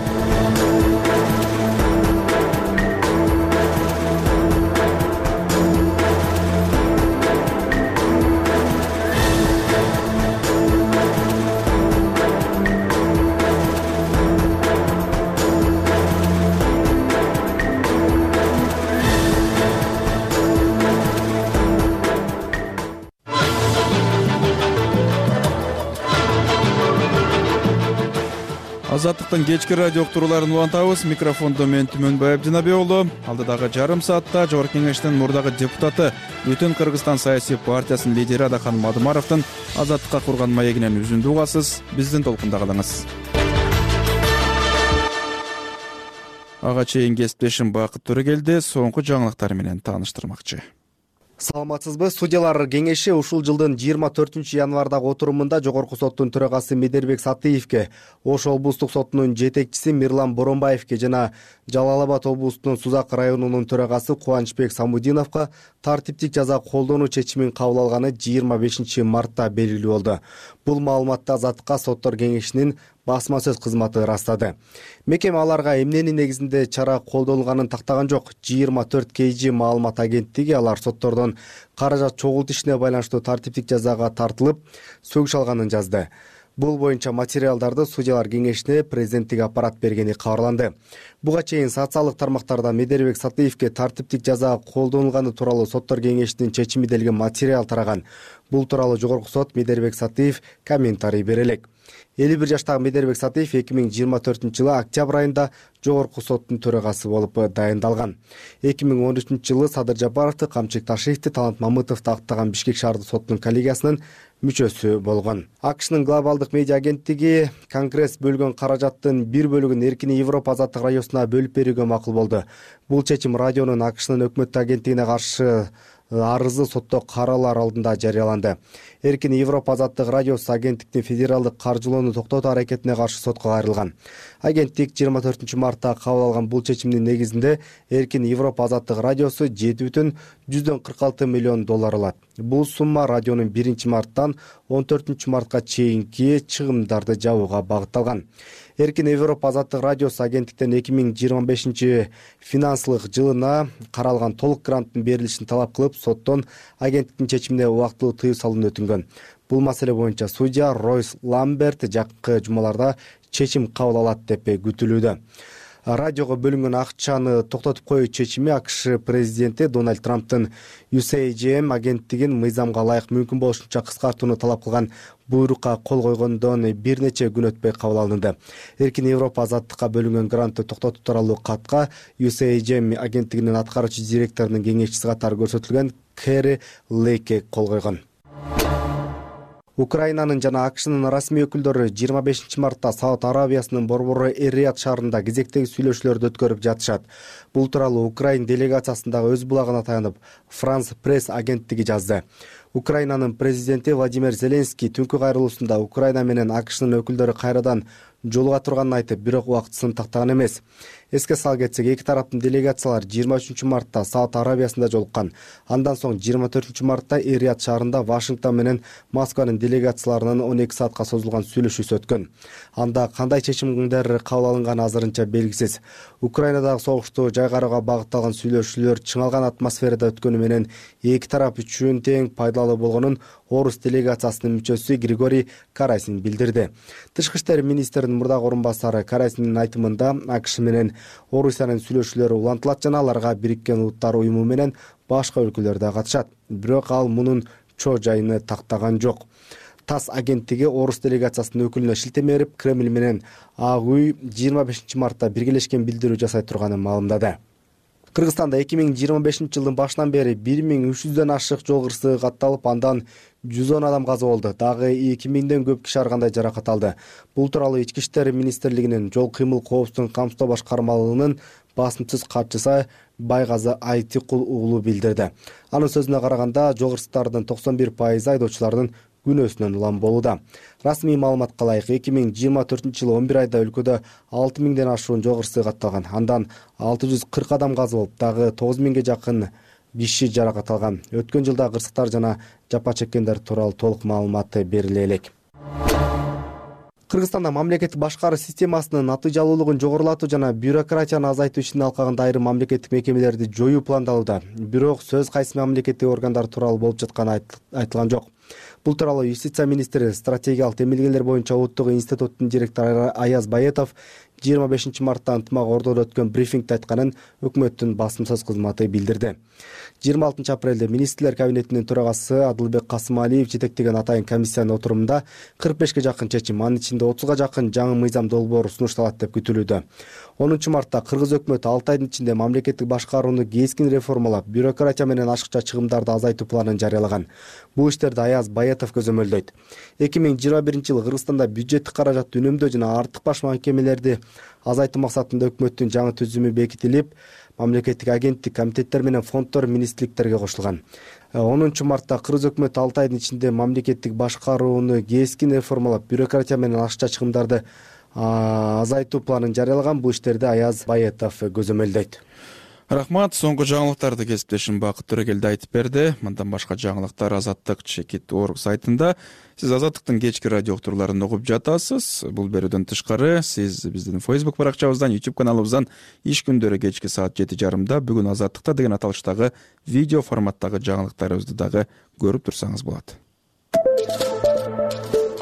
Азаттыктын кечки радио уктурууларын улантабыз. Микрофондо мен Түмөнбай Абдинабиулу. Алдыдагы жарым саатта Жогорку Кеңештин мурдагы депутаты, Бүтүн Кыргызстан саясий партиясынын лидери Адахан Мадымаровдун Азаттыкка курган маегинен үзүндү угасыз. Биздин толкунда калыңыз. Ага чейин кесиптешим Бакыт Төрөгелди соңку жаңылыктар менен тааныштырмакчы. Саламатсызбы? Судьялар кеңеши ушул жылдын жыйырма төртүнчү январдагы отурумунда Жогорку соттун төрагасы Медербек Сатыевке, Ош облустук сотунун жетекчиси Мирлан Боронбаевке жана Жалал Абад облустунун Сузак районунун төрагасы Кубанычбек Самудиновго тартиптик жаза колдонуу чечимин кабыл алганы жыйырма бешинчи мартта белгилүү болду. Бул маалыматты Азаттыкка соттор кеңешинин басма сөз кызматы ырастады. Мекеме аларга эмненин негизинде чара колдонулганын тактаган жок. жыйырма төрт кей жи маалымат агенттиги алар соттордон каражат чогултуу ишине байланыштуу тартиптик жазага тартылып, сөгүш алганын жазды. Бул боюнча материалдарды судьялар кеңешине президенттик аппарат бергени кабарланды. Буга чейин социалдык тармактарда Медербек Сатыевке тартиптик жаза колдонулганы тууралуу соттор кеңешинин чечими делген материал тараган. Бул тууралуу Жогорку сот Медербек Сатыев комментарий бере элек. элүү бир жаштагы Медербек Сатыев эки миң жыйырма төртүнчү жылы октябрь айында Жогорку соттун төрагасы болуп дайындалган. эки миң он үчүнчү жылы Садыр Жапаровду, Камчык Ташиевди, Талант Мамытовду актаган Бишкек шаардык сотунун коллегиясынын мүчөсү болгон. АКШнын глобалдык медиа агенттиги Конгресс бөлгөн каражаттын бир бөлүгүн Эркин Европа азаттык радиосуна бөлүп берүүгө макул болду. Бул чечим радионун АКШнын өкмөттүк агенттигине каршы арызы сотто каралар алдында жарыяланды. Эркин Европа азаттык радиосу агенттиктин федералдык каржылоону токтотуу аракетине каршы сотко кайрылган. Агенттик жыйырма төртүнчү мартта кабыл алган бул чечимдин негизинде Эркин Европа азаттык радиосу жети бүтүн жүздөн кырк алты миллион доллар алат. Бул сумма радионун биринчи марттан он төртүнчү мартка чейинки чыгымдарды жабууга багытталган. Эркин Европа азаттык радиосу агенттиктен эки миң жыйырма бешинчи финансылык жылына каралган толук гранттын берилишин талап кылып, соттон агенттиктин чечимине убактылуу тыюу салууну өтүнгөн. Бул маселе боюнча судья Ройс Ламберт жакынкы жумаларда чечим кабыл алат деп күтүлүүдө. Радиого бөлүнгөн акчаны токтотуп коюу чечими АКШ президенти Дональд Трамптын ю эс эй джи эм агенттигин мыйзамга ылайык мүмкүн болушунча кыскартууну талап кылган буйрукка кол койгондон бир нече күн өтпөй кабыл алынды. Эркин Европа азаттыкка бөлүнгөн грантты токтотуу тууралуу катка ю эс эй джи эм агенттигинин аткаруучу директорунун кеңешчиси катары көрсөтүлгөн Кэри Лейке кол койгон. Украинанын жана АКШнын расмий өкүлдөрү жыйырма бешинчи мартта Сауд Арабиясынын борбору Эр-Рияд шаарында кезектеги сүйлөшүүлөрдү өткөрүп жатышат. Бул тууралуу Украин делегациясындагы өз булагына таянып Франс пресс агенттиги жазды. Украинанын президенти Владимир Зеленский түнкү кайрылуусунда Украина менен АКШнын өкүлдөрү кайрадан жолуга турганын айтып, бирок убактысын тактаган эмес. Эске сала кетсек, эки тараптын делегациялар жыйырма үчүнчү мартта Сауд Арабиясында жолуккан. Андан соң жыйырма төртүнчү мартта Эр-Рияд шаарында Вашингтон менен Москванын делегацияларынын он эки саатка созулган сүйлөшүүсү өткөн. Анда кандай чечимдер кабыл алынганы азырынча белгисиз. Украинадагы согушту жайгарууга багытталган сүйлөшүүлөр чыңалган атмосферада өткөнү менен эки тарап үчүн тең пайдалуу болгонун Орус делегациясынын мүчөсү Григорий Карасин билдирди. Тышкы иштер министринин мурдагы орун басары Карасиндин айтымында АКШ менен Орусиянын сүйлөшүүлөрү улантылат жана аларга Бириккен Улуттар уюму менен башка өлкөлөр да катышат. Бирок ал мунун чоо жайыны тактаган жок. ТАСС агенттиги Орус делегациясынын өкүлүнө шилтеме берип, Кремль менен Ак үй жыйырма бешинчи мартта биргелешкен билдирүү жасай турганын маалымдады. Кыргызстанда эки миң жыйырма бешинчи жылдын башынан бери бир миң үч жүздөн ашык жол кырсыгы катталып, андан жүз он адам каза болду. Дагы эки миңден көп киши ар кандай жаракат алды. Бул тууралуу Ички иштер министрлигинин жол кыймыл коопсуздугун камсыздоо башкармалыгынын басымсыз катчысы Байгазы Айтикул уулу билдирди. Анын сөзүнө караганда, жол кырсыктардын токсон бир пайызы айдоочулардын күнөөсүнөн улам болууда. Расмий маалыматка ылайык эки миң жыйырма төртүнчү жылы он бир айда өлкөдө алты миңден ашуун жогору сый катталган. Андан алты жүз кырк адам каза болуп, дагы тогуз миңге жакын киши жаракат алган. Өткөн жылда кырсыктар жана жапа чеккендер тууралуу толук маалымат бериле элек. Кыргызстанда мамлекеттик башкаруу системасынын натыйжалуулугун жогорулатуу жана бюрократияны азайтуу ишин алкагында айрым мамлекеттик мекемелерди жоюу пландалууда. Бирок сөз кайсы мамлекеттик органдар тууралуу болуп жатканы айтылган жок. Бул тууралуу Юстиция министри стратегиялык демилгелер боюнча улуттук институттун директору Аяз Баетов жыйырма бешинчи мартта ынтымак ордодо өткөн брифингде айтканын өкмөттүн басым сөз кызматы билдирди. жыйырма алтынчы апрелде министрлер кабинетинин төрагасы Адылбек Касымалиев жетектеген атайын комиссиянын отурумунда кырк бешке жакын чечим, анын ичинде отузга жакын жаңы мыйзам долбоору сунушталат деп күтүлүүдө. онунчу мартта кыргыз өкмөтү алты айдын ичинде мамлекеттик башкарууну кескин реформалап, бюрократия менен ашыкча чыгымдарды азайтуу планын жарыялаган. Бул иштерди Аяз Баетов көзөмөлдөйт. эки миң жыйырма биринчи жылы Кыргызстанда бюджеттик каражатты үнөмдөө жана артык баш мекемелерди азайтуу максатында өкмөттүн жаңы түзүмү бекитилип, мамлекеттик агенттик, комитеттер менен фонддор министрликтерге кошулган. онунчу мартта кыргыз өкмөтү алты айдын ичинде мамлекеттик башкарууну кескин реформалап, бюрократия менен ашыкча чыгымдарды азайтуу планын жарыялаган. Бул иштерди Аяз Баетов көзөмөлдөйт. Рахмат. Соңку жаңылыктарды кесиптешим Бакыт Төрөгелди айтып берди. Мындан башка жаңылыктар Азаттык чекит точка орг сайтында. Сиз Азаттыктын кечки радио уктурууларын угуп жатасыз. Бул берүүдөн тышкары сиз биздин Facebook баракчабыздан, YouTube каналыбыздан иш күндөрү кечки саат жети жарымда бүгүн Азаттыкта деген аталыштагы видео форматтагы жаңылыктарыбызды дагы көрүп турсаңыз болот.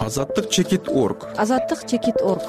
Азаттык чекит точка орг. Азаттык чекит точка орг.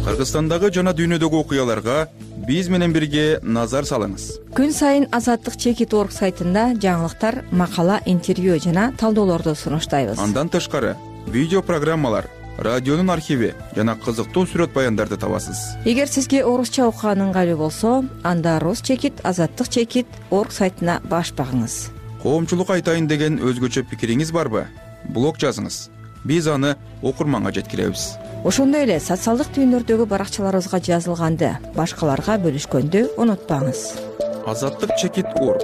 Кыргызстандагы жана дүйнөдөгү окуяларга биз менен бирге назар салыңыз. Күн сайын Азаттык чекит точка орг сайтында жаңылыктар, макала, интервью жана талдоолорду сунуштайбыз. Андан тышкары видео программалар, радионун архиви жана кызыктуу сүрөт баяндарды табасыз. Эгер сизге орусча окуган ыңгайлуу болсо, анда Рус чекит, Азаттык чекит точка орг сайтына баш багыңыз. Коомчулук айтайын деген өзгөчө пикириңиз барбы? Блог жазыңыз. Биз аны окурманга жеткиребиз. Ошондой эле социалдык түйүндөрдөгү баракчаларыбызга жазылганды башкаларга бөлүшкөндү унутпаңыз. Азаттык чекит точка орг.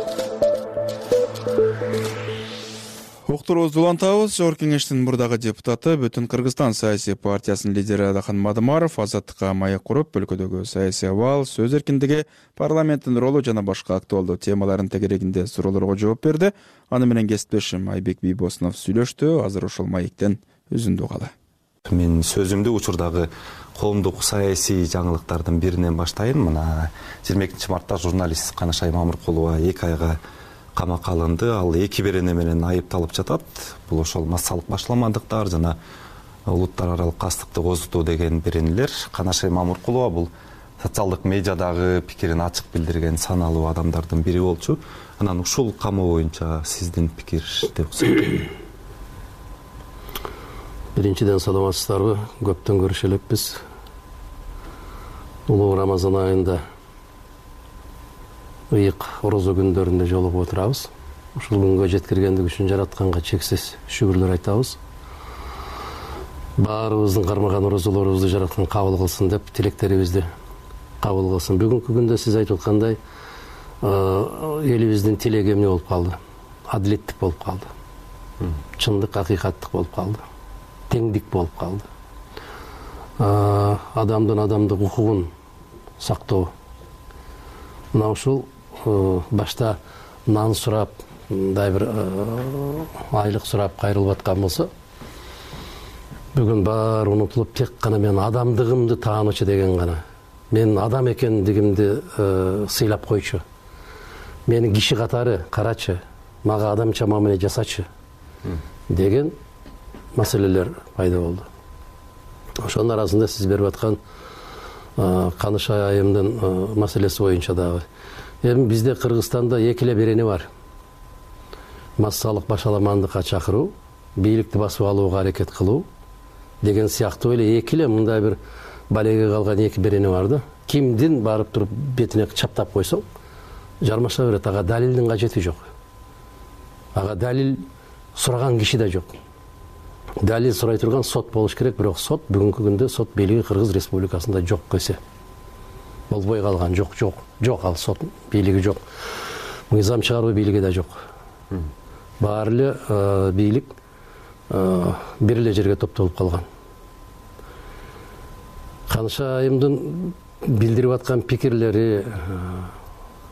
Уктуруубузду улантабыз. Жогорку кеңештин мурдагы депутаты, Бүтүн Кыргызстан саясий партиясынын лидери Адахан Мадымаров Азаттыкка маек куруп, өлкөдөгү саясий абал, сөз эркиндиги, парламенттин ролу жана башка актуалдуу темалардын тегерегинде суроолорго жооп берди. Аны менен кесиптешим Айбек Бийбосунов сүйлөштү. Азыр ошол маектен үзүндү угалы. Мен сөзүмдү учурдагы коомдук саясий жаңылыктардын биринен баштайын. Мына жыйырма экинчи мартта журналист Канышай Мамыркулова эки айга камакка алынды. Ал эки берене менен айыпталып жатат. Бул ошол массалык башламандыктар жана улуттар аралык кастыкты козутуу деген беренелер. Канышай Мамыркулова бул социалдык медиадагы пикирин ачык билдирген саналуу адамдардын бири болчу. Анан ушул камоо боюнча сиздин пикирди уксак. Биринчиден саламатсыздарбы? Көптөн көрүшө элекпиз. Улуу Рамазан айында ыйык орозо күндөрүндө жолугуп отурабыз. Ушул күнгө жеткиргендик үчүн жаратканга чексиз шүгүрлөр айтабыз. Баарыбыздын кармаган орозолорубузду жараткан кабыл кылсын деп тилектерибизди кабыл кылсын. Бүгүнкү күндө сиз айтып аткандай элибиздин тилеги эмне болуп калды? Адилеттик болуп калды. Чындык, акыйкаттык болуп калды. Теңдик болуп калды. Адамдын адамдык укугун сактоо. Мына ушул башта нан сурап, мындай бир айлык сурап кайрылып аткан болсо, бүгүн баары унутулуп тек гана мен адамдыгымды таанычы деген гана, мен адам экендигимди сыйлап койчу, мени киши катары карачы, мага адамча мамиле жасачы деген маселелер пайда болду. Ошонун арасында сиз берип аткан Канышай айымдын маселеси боюнча дагы. Эми бизде Кыргызстанда эки эле берене бар. Массалык башаламандыкка чакыруу, бийликти басып алууга аракет кылуу деген сыяктуу эле эки эле мындай бир балеге калган эки берене бар да. Кимдин барып туруп бетине чаптап койсоң, жармаша берет. Ага далилдин кажети жок. Ага далил сураган киши да жок. Далил сурай турган сот болуш керек, бирок сот бүгүнкү күндө сот бийлиги Кыргыз Республикасында жок десе. Болбой калган, жок, жок, жок ал сот бийлиги жок. мыйзам чыгаруу бийлиги да жок. Баары эле бийлик бир эле жерге топтолуп калган. Канышайымдын билдирип аткан пикирлери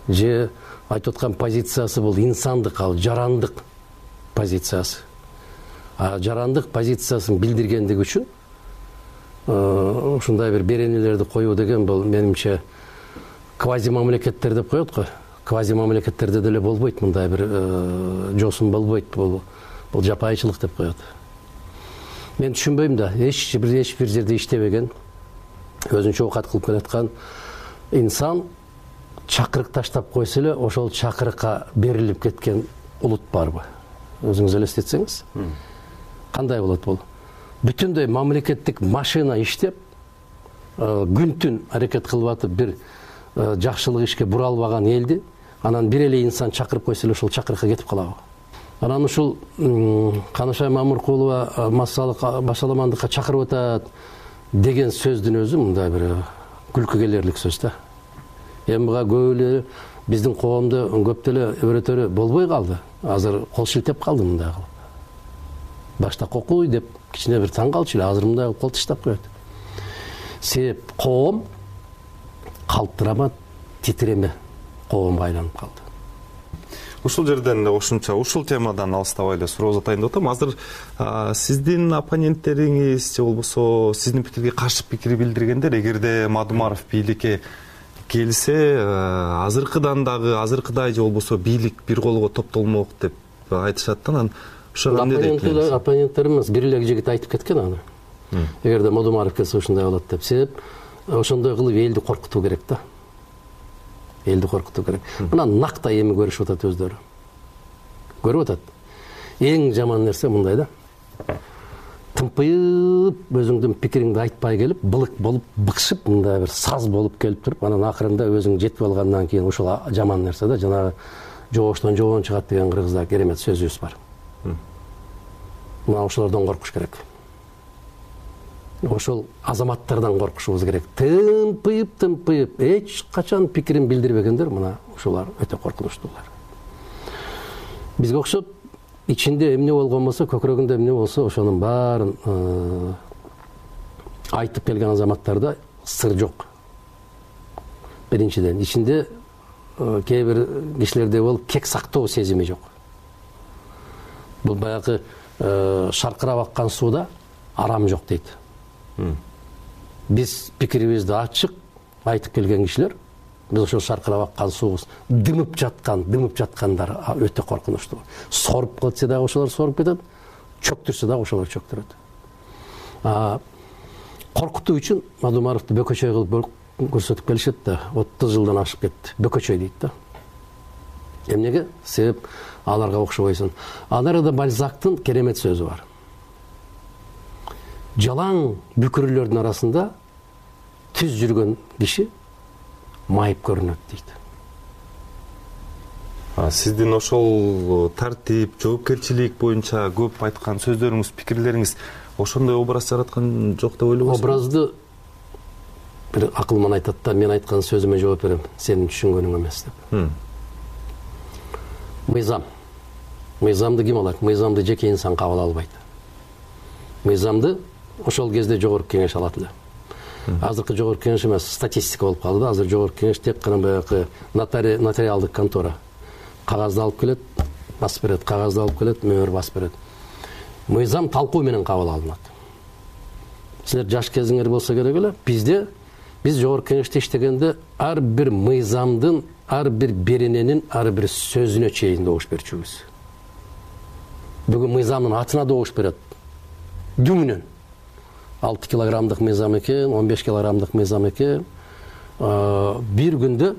же айтып аткан позициясы бул инсандык, ал жарандык позициясы. А жарандык позициясын билдиргендиги үчүн ушундай бир беренелерди коюу деген бул менимче квази мамлекеттер деп коет го. Квази мамлекеттерде деле болбойт, мындай бир жосун болбойт, бул бул жапайычылык деп коет. Мен түшүнбөйм да, эч бир эч бир жерде иштебеген, өзүнчө оокат кылып келаткан инсан чакырык таштап койсо эле ошол чакырыкка берилип кеткен улут барбы? Өзүңүз элестетсеңиз, кандай болот бул? Бүтүндөй мамлекеттик машина иштеп, күн-түн аракет кылып атып бир жакшылык ишке бура албаган элди анан бир эле инсан чакырып койсо эле ошол чакырыкка кетип калабы? Анан ушул Канышай Мамыркулова массалык башаламандыкка чакырып атат деген сөздүн өзү мындай бир күлкү келерлик сөз да. Эми буга көп эле биздин коомдо көп деле өрөтөрү болбой калды. Азыр кол шилтеп калды мындай кылып. Башта кокуй деп кичине бир таң калчу эле, азыр мындай кол таштап коет. Себеп коом калтырама, титиреме коомго айланып калды. Ушул жерден ошончо ушул темадан алыстабай эле суроо атайын деп атам. Азыр сиздин оппоненттериңиз же болбосо сиздин пикирге каршы пикир билдиргендер эгерде Мадумаров бийликке келсе, азыркыдан дагы азыркыдай же болбосо бийлик бир колго топтолмок деп айтышат да. Анан ошого эмне дейт? Оппоненттерimiz бир эле жигит айтып кеткен аны. Эгерде Мадумаров келсе ушундай болот деп. Себеп ошондой кылып элди коркутуу керек да. Элди коркутуу керек. Мына нактай эми көрүшүп атат өздөрү. Көрүп атат. Эң жаман нерсе мындай да. Тымпыйып өзүңдүн пикириңди айтпай келип, былык болуп, быкшып, мындай бир саз болуп келип туруп, анан акырында өзүң жетип алгандан кийин ушул жаман нерсе да, жанагы жогоштон жогон чыгат деген кыргызда керемет сөзүбүз бар. Мына ошолордон коркуш керек. Ошол азаматтардан коркушубуз керек. Тымпыйып, тымпыйып, эч качан пикирин билдирбегендер, мына ушулар өтө коркунучтуулар. Бизге окшоп ичинде эмне болгон болсо, көкүрөгүндө эмне болсо, ошонун баарын айтып келген азаматтарда сыр жок. Биринчиден, ичинде кээ бир кишилерде болуп кек сактоо сезими жок. Бул баягы шаркырап аккан сууда арам жок дейт. Биз пикирибизди ачык айтып келген кишилер, биз ошол шаркырап аккан суубуз дымып жаткан, дымып жаткандар өтө коркунучтуу. Соруп кетсе дагы ошолор соруп кетет, чөктүрсө дагы ошолор чөктүрөт. Коркутуу үчүн Мадумаровду бөкөчөй кылып көрсөтүп келишет да, отуз жылдан ашып кетти. Бөкөчөй дейт да. Эмнеге? Себеп аларга окшобойсуң. Анарда Бальзактын керемет сөзү бар. Жалаң бүкүрлөрдүн арасында түз жүргөн киши майып көрүнөт дейт. Сиздин ошол тартип, жоопкерчилик боюнча көп айткан сөздөрүңүз, пикирлериңиз ошондой образ жараткан жок деп ойлойсузбу? Образды бир акылман айтат да, мен айткан сөзүмө жооп берем, сенин түшүнгөнүң эмес деп. Мыйзам. Мыйзамды ким алат? Мыйзамды жеке инсан кабыл албайт. Мыйзамды ошол кезде жогорку кеңеш алат эле. Азыркы жогорку кеңеш эмес, статистика болуп калды. Азыр жогорку кеңеш тек гана баягы нотариалдык контора. Кагазды алып келет, басып берет, кагазды алып келет, мөөр басып берет. Мыйзам талкуу менен кабыл алынат. Силер жаш кезиңер болсо керек эле. Бизде биз жогорку кеңеште иштегенде ар бир мыйзамдын, ар бир берененин, ар бир сөзүнө чейин добуш берчүбүз. Бүгүн мыйзамдын атына добуш берет. Дүңүнөн. алты килограммдык мыйзам экен, он беш килограммдык мыйзам экен. Бир күндө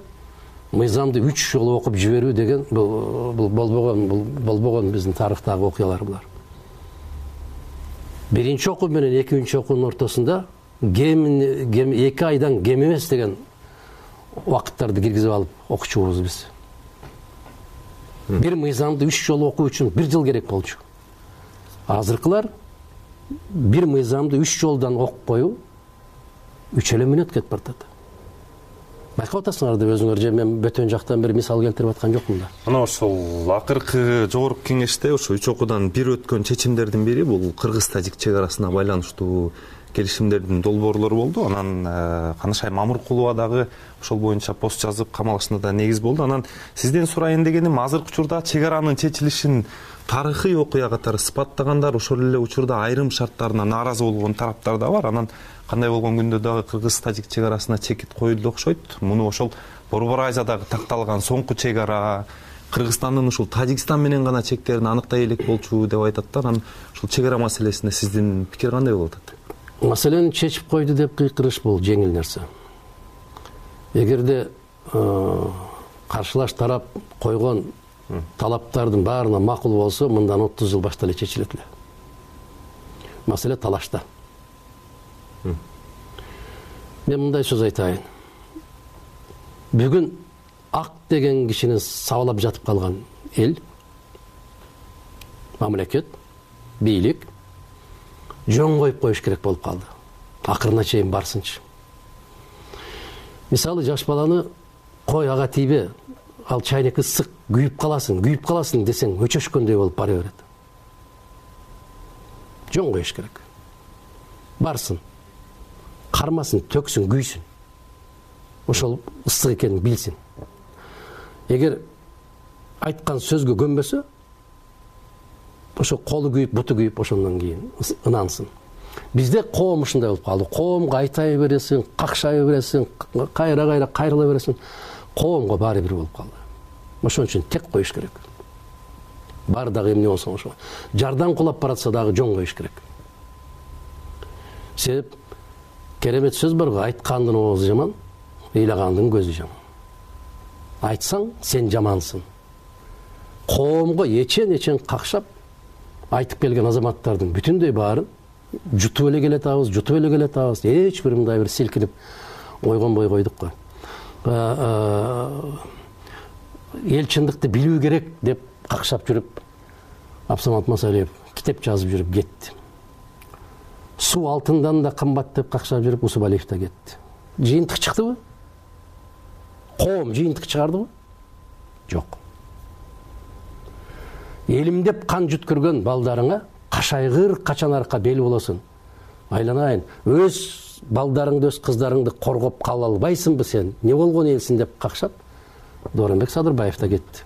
мыйзамды үч жолу окуп жиберүү деген бул болбогон, бул болбогон биздин тарыхтагы окуялар булар. Биринчи окуу менен экинчи окуунун ортосунда эки айдан кем эмес деген убакыттарды киргизип алып окучубуз биз. Бир мыйзамды үч жолу окуу үчүн бир жыл керек болчу. Азыркылар бир мыйзамды үч жолдан окуп коюу үч эле мүнөт кетип бартат. байкап атасыңар деп өзүңөр, же мен бөтөн жактан бир мисал келтирип аткан жокмун да. Мына ошол акыркы жогорку кеңеште ошо үч окуудан бир өткөн чечимдердин бири бул кыргыз-тажик чек арасына байланыштуу келишимдердин долбоорлору болду. Анан Канышай Мамыркулова дагы ошол боюнча пост жазып камалышына да негиз болду. Анан сизден сурайын дегеним, азыркы учурда чек аранын чечилишин тарыхый окуя катары сыпаттагандар, ошол эле учурда айрым шарттарына нааразы болгон тараптар да бар. Анан кандай болгон күндө дагы кыргыз-тажик чек арасына чекит коюлду окшойт. Муну ошол Борбор Айзадагы такталган соңку чек ара Кыргызстандын ушул Тажикстан менен гана чектерин аныктай элек болчу деп айтат да. Анан ушул чек ара маселесине сиздин пикир кандай болуп атат? Маселени чечип койду деп кыйкырыш бул жеңил нерсе. Эгерде каршылаш тарап койгон талаптардын баарына макул болсо, мындан отуз жыл башта эле чечилет эле. Маселе талашта. Мен мындай сөз айтайын. Бүгүн ак деген кишини сабалап жатып калган эл, мамлекет, бийлик жөн коюп коюш керек болуп калды. Акырына чейин барсынчы. Мисалы, жаш баланы кой ага тийбе, ал чайнек ысык, күйүп каласың, күйүп каласың десең өчөшкөндөй болуп бара берет. Жөн коюш керек. Барсын, кармасын, төксүн, күйсүн. Ошол ысык экенин билсин. Эгер айткан сөзгө көнбөсө, ошо колу күйүп, буту күйүп, ошондон кийин ынансын. Бизде коом ушундай болуп калды. Коомго айтай бересиң, какшай бересиң, кайра-кайра кайрыла бересиң. Коомго баары бир болуп калды. Ошон үчүн тек коюш керек. Бар дагы эмне болсо ошо. Жардан кулап баратса дагы жөн коюш керек. Себеп керемет сөз бар го, айткандын оозу жаман, ыйлагандын көзү жаман. Айтсаң, сен жамансың. Коомго эчен-эчен какшап айтып келген азаматтардын бүтүндөй баарын жутуп эле келатабыз, жутуп эле келатабыз. Эч бир мындай бир силкинип ойгонбой койдук го. Эл чындыкты билүү керек деп какшап жүрүп, Абсамат Масалиев китеп жазып жүрүп кетти. Суу алтындан да кымбат деп какшап жүрүп, Усубалиев да кетти. Жыйынтык чыктыбы? Коом жыйынтык чыгардыбы? Жок. Элим деп кан жүткөргөн балдарыңа кашайгыр качан арка бел болосуң. Айланайын, өз балдарыңды, өз кыздарыңды коргоп кала албайсыңбы сен? Не болгон элсиң деп какшап, Дооронбек Садырбаев да кетти.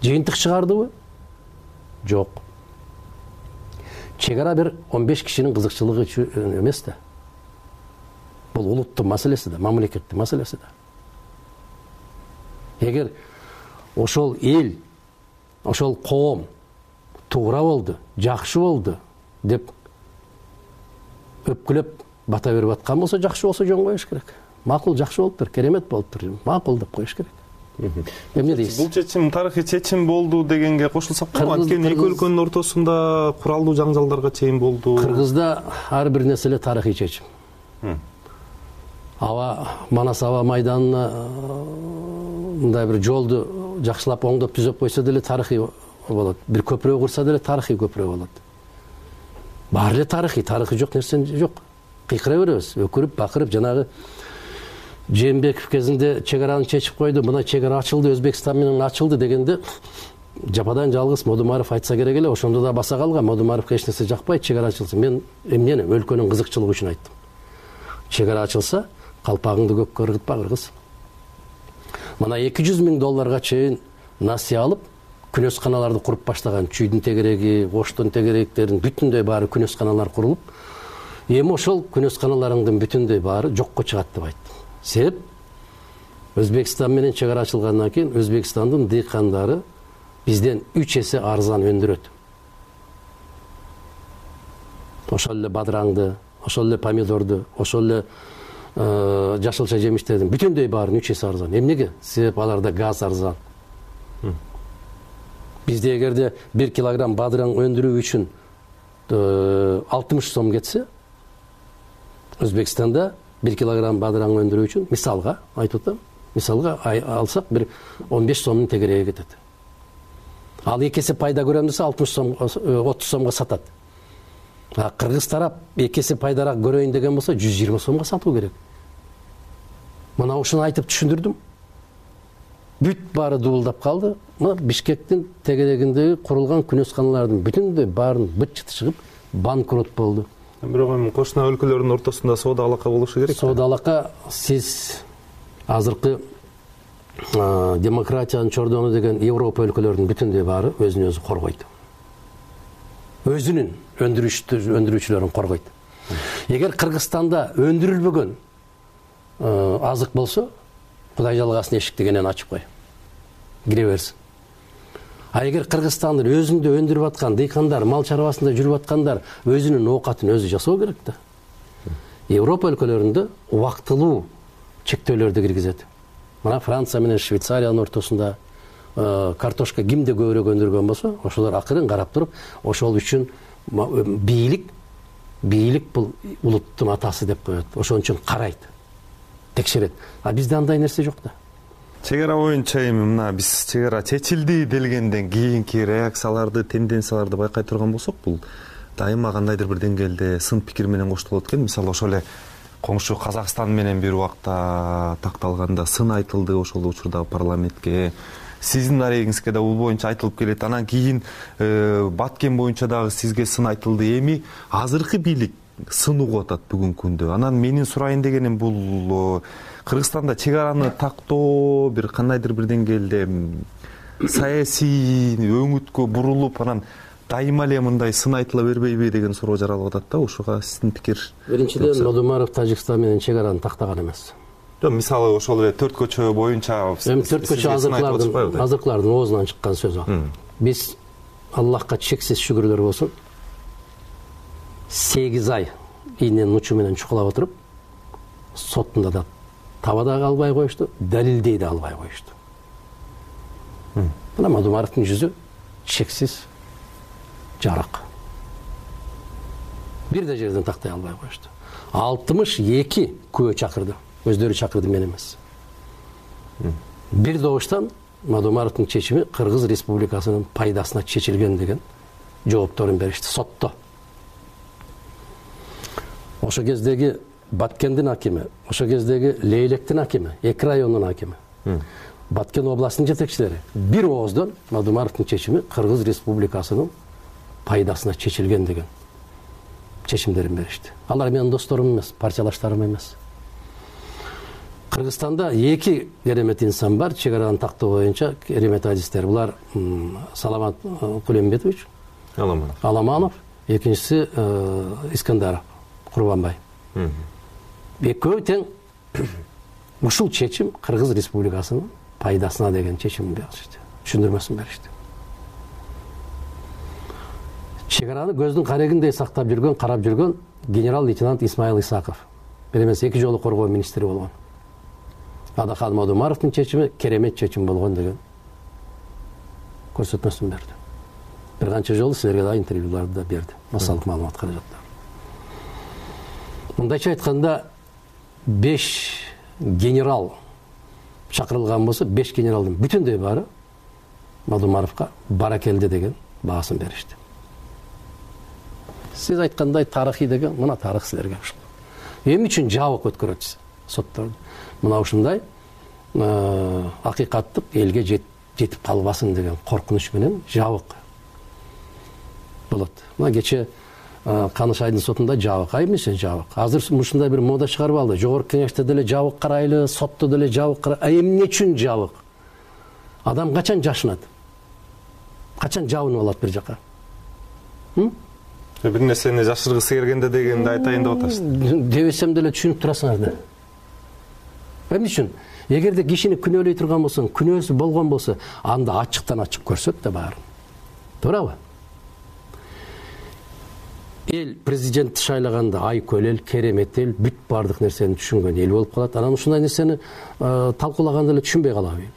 Жыйынтык чыгардыбы? Жок. Чек ара бир он беш кишинин кызыкчылыгы үчүн эмес да. Бул улуттун маселеси да, мамлекеттин маселеси да. Эгер ошол эл, ошол коом туура болду, жакшы болду деп өпкүлөп бата берип аткан болсо, жакшы болсо жөн коюш керек. Макул, жакшы болуптур, керемет болуптур, макул деп коюш керек. Эмне дейсиз? Бул чечим тарыхый чечим болду дегенге кошулсак болот. Анткени эки өлкөнүн ортосунда куралдуу жаңжалдарга чейин болду. Кыргызда ар бир нерселе тарыхый чечим. Аба Манас аба майданына мындай бир жолду жакшылап оңдоп түзөп койсо деле тарыхый болот. Бир көпүрө курса деле тарыхый көпүрө болот. Баары эле тарыхый, тарыхый жок нерсе жок. Кыйкыра беребиз, өкүрүп, бакырып, жанагы Жээнбеков кезинде чек араны чечип койду, мына чек ара ачылды, Өзбекстан менен ачылды дегенде жападан жалгыз Модумаров айтса керек эле, ошондо да баса калган. Модумаровго эч нерсе жакпайт, чек ара ачылсын. Мен эмнени өлкөнүн кызыкчылыгы үчүн айттым. Чек ара ачылса, калпагыңды көккө ыргытпа, кыргыз. Мына эки жүз миң долларга чейин насыя алып, күнөсканаларды куруп баштаган. Чүйдүн тегереги, Оштун тегеректерин бүтүндөй баары күнөсканалар курулуп, эми ошол күнөсканаларыңдын бүтүндөй баары жокко чыгат деп айттым. Себеп Өзбекстан менен чек ара ачылгандан кийин Өзбекстандын дыйкандары бизден үч эсе арзан өндүрөт. Ошол эле бадыраңды, ошол эле помидорду, ошол эле жашылча жемиштердин бүтүндөй баарын үч эсе арзан. Эмнеге? Себеп аларда газ арзан. Бизде эгерде бир килограмм бадыраң өндүрүү үчүн алтымыш сом кетсе, Өзбекстанда бир килограмм бадыраң өндүрүү үчүн, мисалга айтып атам, мисалга алсак бир он беш сомдун тегереги кетет. Ал эки эсе пайда көрөм десе алтымыш сом, отуз сомго сатат. А Кыргыз тарап эки эсе пайдараак көрөйүн деген болсо жүз жыйырма сомго сатуу керек. мына ушуну айтып түшүндүрдүм. Бүт баары дубулдап калды. Мына Бишкектин тегерегиндеги курулган күнөсканалардын бүтүндөй баарын быт чыты чыгып банкрот болду. Бирок эми кошуна өлкөлөрдүн ортосунда соода алака болушу керек. Соода алака сиз азыркы демократиянын чордону деген Европа өлкөлөрүнүн бүтүндөй баары өзүн өзү коргойт. Өзүнүн өндүрүүчүлөрүн коргойт. Эгер Кыргызстанда өндүрүлбөгөн азык болсо, Кудай жалгасын эшикти кенен ачып кой. Кире берсин. А эгер Кыргызстандын өзүндө өндүрүп аткан дыйкандар, мал чарбасында жүрүп аткандар өзүнүн оокатын өзү жасоо керек да. Европа өлкөлөрүндө убактылуу чектөөлөрдү киргизет. Мына Франция менен Швейцариянын ортосунда картошка кимде көбүрөөк өндүргөн болсо, ошолор акырын карап туруп, ошол үчүн бийлик, бийлик бул улуттун атасы деп коет. Ошон үчүн карайт, текшерет. А бизде андай нерсе жок да. Чегара боюнча эми мына биз чегара чечилди делгенден кийинки реакцияларды, тенденцияларды байкай турган болсок, бул дайыма кандайдыр бир деңгээлде сын пикир менен коштолот экен. Мисалы ошол эле коңшу Казакстан менен бир убакта такталганда сын айтылды ошол учурда парламентке. Сиздин арегиңизге да бул боюнча айтылып келет. Анан кийин Баткен боюнча дагы сизге сын айтылды. Эми азыркы бийлик сын угуп атат бүгүнкү күндө. Анан менин сурайын дегеним бул Кыргызстанда чегараны тактоо бир кандайдыр бир деңгээлде саясий өңүткө бурулуп, анан дайыма эле мындай сын айтыла бербейби деген суроо жаралып атат да. Ушуга сиздин пикир? Биринчиден, Нодумаров Тажикстан менен чегараны тактаган эмес. Жок, мисалы ошол эле төрт көчө боюнча эми төрт көчө азыркылардын азыркылардын оозунан чыккан сөз ал. Биз Аллахка чексиз шүгүрлөр болсун, сегиз ай ийненин учу менен чукулап отуруп, соттунда да таба дагы албай коюшту, далилдей да албай коюшту. Мына Мадумаровдун жүзү чексиз жарык. Бир да жерден тактай албай коюшту. алтымыш эки күбө чакырды. Өздөрү чакырды, мен эмес. Бир добуштан Мадумаровдун чечими Кыргыз Республикасынын пайдасына чечилген деген жоопторун беришти сотто. Ошо кездеги Баткендин акими, ошо кездеги Лейлектин акими, эки райондун акими, Баткен областынын жетекчилери бир ооздон Мадумаровдун чечими Кыргыз Республикасынын пайдасына чечилген деген чечимдерин беришти. Алар менин досторум эмес, партиялаштарым эмес. Кыргызстанда эки керемет инсан бар, чегараны тактоо боюнча керемет адистер. Булар Саламат Кулембетович, Аламанов, Аламанов, экинчиси Искандаров Курбанбай. Экөө тең ушул чечим Кыргыз Республикасынын пайдасына деген чечим беришти. Түшүндүрмөсүн беришти. Чегараны көздүн карегиндей сактап жүргөн, карап жүргөн генерал-лейтенант Исмаил Исаков. Бир эмес эки жолу коргоо министри болгон. Адахан Мадумаровдун чечими керемет чечим болгон деген көрсөтмөсүн берди. Бир канча жолу силерге да интервьюларды да берди. Массалык маалымат каражаттар. Мындайча айтканда беш генерал чакырылган болсо, беш генералдын бүтүндөй баары Мадумаровго баракелде деген баасын беришти. Сиз айткандай тарыхый деген, мына тарых силерге ушул. Эмне үчүн жабык өткөрөт сотторду? Мына ушундай акыйкаттык элге жетип калбасын деген коркунуч менен жабык болот. Мына кече Канышайдын сотунда жабык, ай эмне үчүн жабык? Азыр ушундай бир мода чыгарып алды. Жогорку кеңеште деле жабык карайлы, сотто деле жабык карайлы. А эмне үчүн жабык? Адам качан жашынат? Качан жабынып алат бир жака? Бир нерсени жашыргысы келгенде дегенди айтайын деп атасыз. Дебесем деле түшүнүп турасыңар да. Эмне үчүн? Эгерде кишини күнөөлөй турган болсоң, күнөөсү болгон болсо, анда ачыктан ачык көрсөт да баарын. Туурабы? Эл президентти шайлаганда айкөл эл, керемет эл, бүт бардык нерсени түшүнгөн эл болуп калат. Анан ушундай нерсени талкуулаганда эле түшүнбөй калабы эл.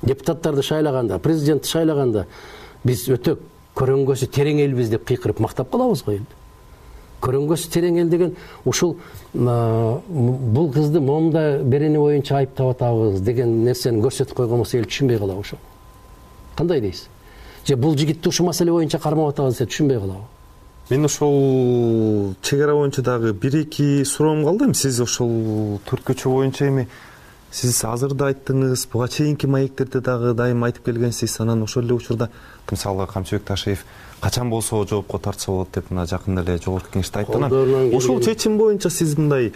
Депутаттарды шайлаганда, президентти шайлаганда биз өтө көрөңгөсү терең элбиз деп кыйкырып мактап калабыз го элди. Көрөңгөсү терең эл деген ушул бул кызды момда берени боюнча айыптап атабыз деген нерсени көрсөтүп койгон болсо эл түшүнбөй калабы ошо. Кандай дейсиз? Же бул жигитти ушул маселе боюнча кармап атабыз деп түшүнбөй калабы? мен ошол чек ара боюнча дагы бир эки суроом калды. Эми сиз ошол төрт көчө боюнча эми сиз азыр да айттыңыз, буга чейинки маектерде дагы дайым айтып келгенсиз. Анан ошол эле учурда мисалы Камчыбек Ташиев качан болсо жоопко тартса болот деп мына жакында эле жогорку кеңеште айтты. Анан ошол чечим боюнча сиз мындай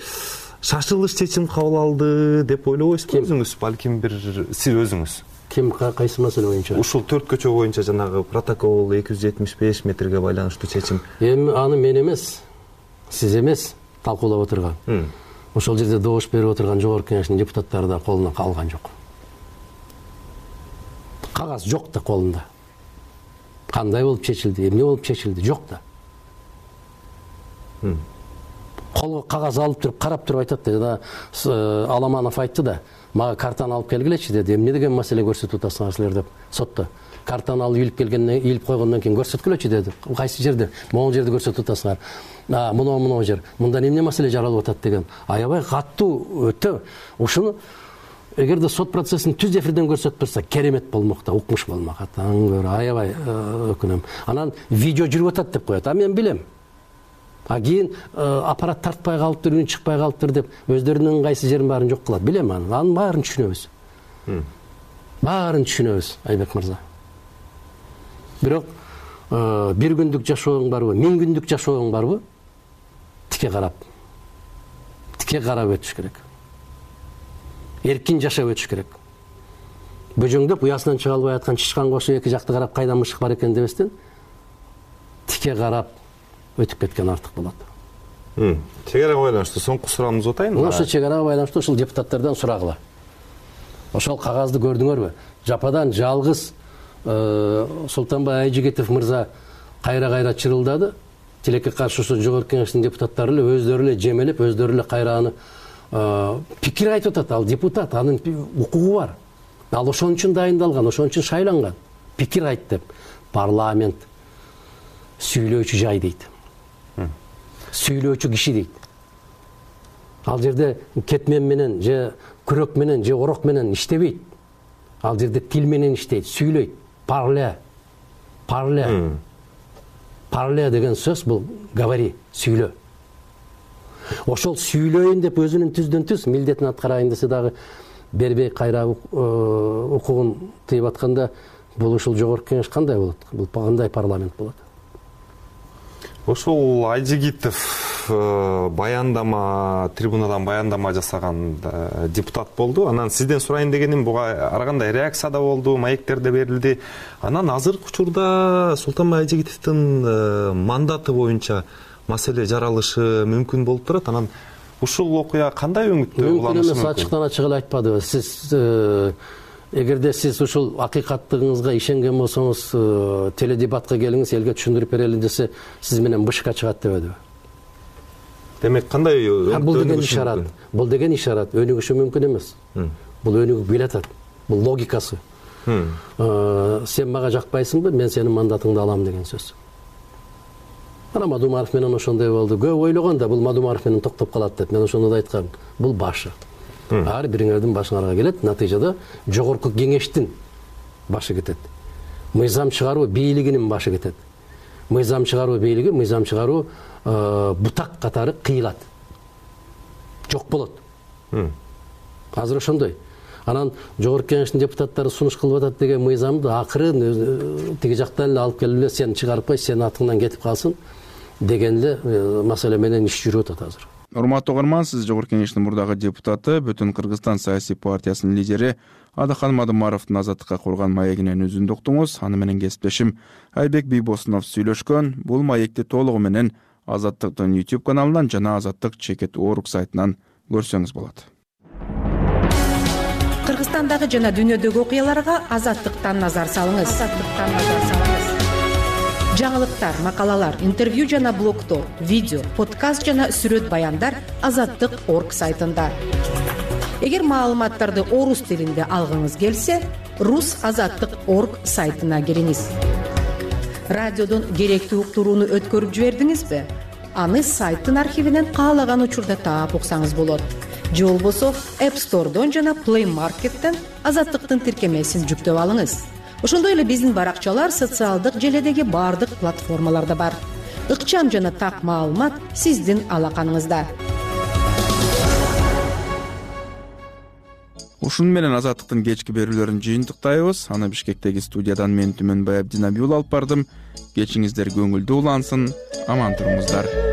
шашылыш чечим кабыл алды деп ойлобойсузбу өзүңүз? Балким бир сиз өзүңүз. Ким кайсы маселе боюнча? Ушул төрт көчө боюнча жанагы протокол эки жүз жетимиш беш метрге байланыштуу чечим. Эми аны мен эмес, сиз эмес талкуулап отурган. Ошол жерде добуш берип отурган жогорку кеңештин депутаттары да колуна алган жок. Кагаз жок да колунда. Кандай болуп чечилди, эмне болуп чечилди, жок да. Колго кагаз алып туруп, карап туруп айтат да. Жана Аламанов айтты да, мага картаны алып келгилечи деди. Эмне деген маселе көрсөтүп атасыңар силер деп сотто. Картаны алып илип келгенден илип койгондон кийин көрсөткүлөчү деди. Кайсы жерде? Могул жерде көрсөтүп атасыңар. А, мына мына жер. Мындан эмне маселе жаралып атат деген. Аябай каттуу өтө. Ушуну эгерде сот процессин түз эфирден көрсөтүп турса, керемет болмок да, укмуш болмок. Атаң көрө, аябай өкүнөм. Анан видео жүрүп атат деп коет. А мен билем. А кийин аппарат тартпай калыптыр, үн чыкпай калыптыр деп өздөрүнүн кайсы жерин баарын жок кылат. Билем аны. Анын баарын түшүнөбүз. Баарын түшүнөбүз, Айбек мырза. Бирок бир күндүк жашооң барбы, миң күндүк жашооң барбы? Тике карап. Тике карап өтүш керек. Эркин жашап өтүш керек. Бөжөңдөп уясынан чыга албай аткан чычкан кошо эки жакты карап кайда мышык бар экен дебестен тике карап өтүп кеткен артык болот. Чек арага байланыштуу соңку суроомдуз атайын. Ошо чек арага байланыштуу ушул депутаттардан сурагыла. Ошол кагазды көрдүңөрбү? Жападан жалгыз Султанбай Айжигитов мырза кайра-кайра чырылдады. Тилекке каршы ошо жогорку кеңештин депутаттары эле өздөрү эле жемелеп, өздөрү эле кайра аны пикир айтып атат. Ал депутат, анын укугу бар. Ал ошон үчүн дайындалган, ошон үчүн шайланган. Пикир айт деп. Парламент сүйлөөчү жай дейт. Сүйлөөчү киши дейт. Ал жерде кетмен менен же күрөк менен же орок менен иштебейт. Ал жерде тил менен иштейт, сүйлөйт. Парле. Парле. Парле деген сөз бул говори, сүйлө. Ошол сүйлөйүн деп өзүнүн түздөн түз милдетин аткарайын десе дагы бербей кайра укугун тыйып атканда бул ушул жогорку кеңеш кандай болот? Бул кандай парламент болот? Ошол Айжигитов баяндама, трибунадан баяндама жасаган депутат болду. Анан сизден сурайын дегеним, буга ар кандай реакция да болду, маектерде берилди. Анан азыркы учурда Султанбай Айжигитовдун мандаты боюнча маселе жаралышы мүмкүн болуп турат. Анан ушул окуя кандай өңүттө уланышы мүмкүн? Мүмкүн эмес, ачыктан ачык эле айтпадыбы. Сиз эгерде сиз ушул акыйкаттыгыңызга ишенген болсоңуз, теледебатка келиңиз, элге түшүндүрүп берели десе, сиз менен бышка чыгат дебедиби? Демек кандай бул деген ишарат? Бул деген ишарат өнүгүшү мүмкүн эмес. Бул өнүгүп келатат. Бул логикасы. Сен мага жакпайсыңбы, мен сенин мандатыңды алам деген сөз. Ана Мадумаров менен ошондой болду. Көп ойлогон да бул Мадумаров менен токтоп калат деп. Мен ошондо да айткам. Бул башы. Ар бириңердин башыңарга келет. Натыйжада жогорку кеңештин башы кетет. Мыйзам чыгаруу бийлигинин башы кетет. Мыйзам чыгаруу бийлиги, мыйзам чыгаруу бутак катары кыйылат. Жок болот. Азыр ошондой. Анан жогорку кеңештин депутаттары сунуш кылып атат деген мыйзамды акырын тиги жактан эле алып келип эле сени чыгарып кой, сенин атыңдан кетип калсын деген эле маселе менен иш жүрүп атат азыр. Урматтуу угарман, сиз жогорку кеңештин мурдагы депутаты, Бүтүн Кыргызстан саясий партиясынын лидери Адахан Мадумаровдун азаттыкка курган маегинен үзүндү уктуңуз. Аны менен кесиптешим Айбек Бийбосунов сүйлөшкөн. Бул маекти толугу менен Азаттыктын YouTube каналынан жана Азаттык чекит орг сайтынан көрсөңүз болот. Кыргызстандагы жана дүйнөдөгү окуяларга Азаттыктан назар салыңыз. Азаттыктан назар салыңыз. Жаңылыктар, макалалар, интервью жана блогтор, видео, подкаст жана сүрөт баяндар Азаттык точка орг сайтында. Эгер маалыматтарды орус тилинде алгыңыз келсе, рус азаттык точка орг сайтына кириңиз. Радиодон керектүү уктурууну өткөрүп жибердиңизби? Аны сайттын архивинен каалаган учурда таап уксаңыз болот. Же болбосо App Store'дон жана Play Market'тен Азаттыктын тиркемесин жүктөп алыңыз. Ошондой эле биздин баракчалар социалдык желедеги бардык платформаларда бар. ыкчам жана так маалымат сиздин алаканыңызда. Ушуну менен Азаттыктын кечки берүүлөрүн жыйынтыктайбыз. Аны Бишкектеги студиядан мен Түмөнбай Абдинабиул алып бардым. Кечиңиздер көңүлдүү улансын, аман туруңуздар.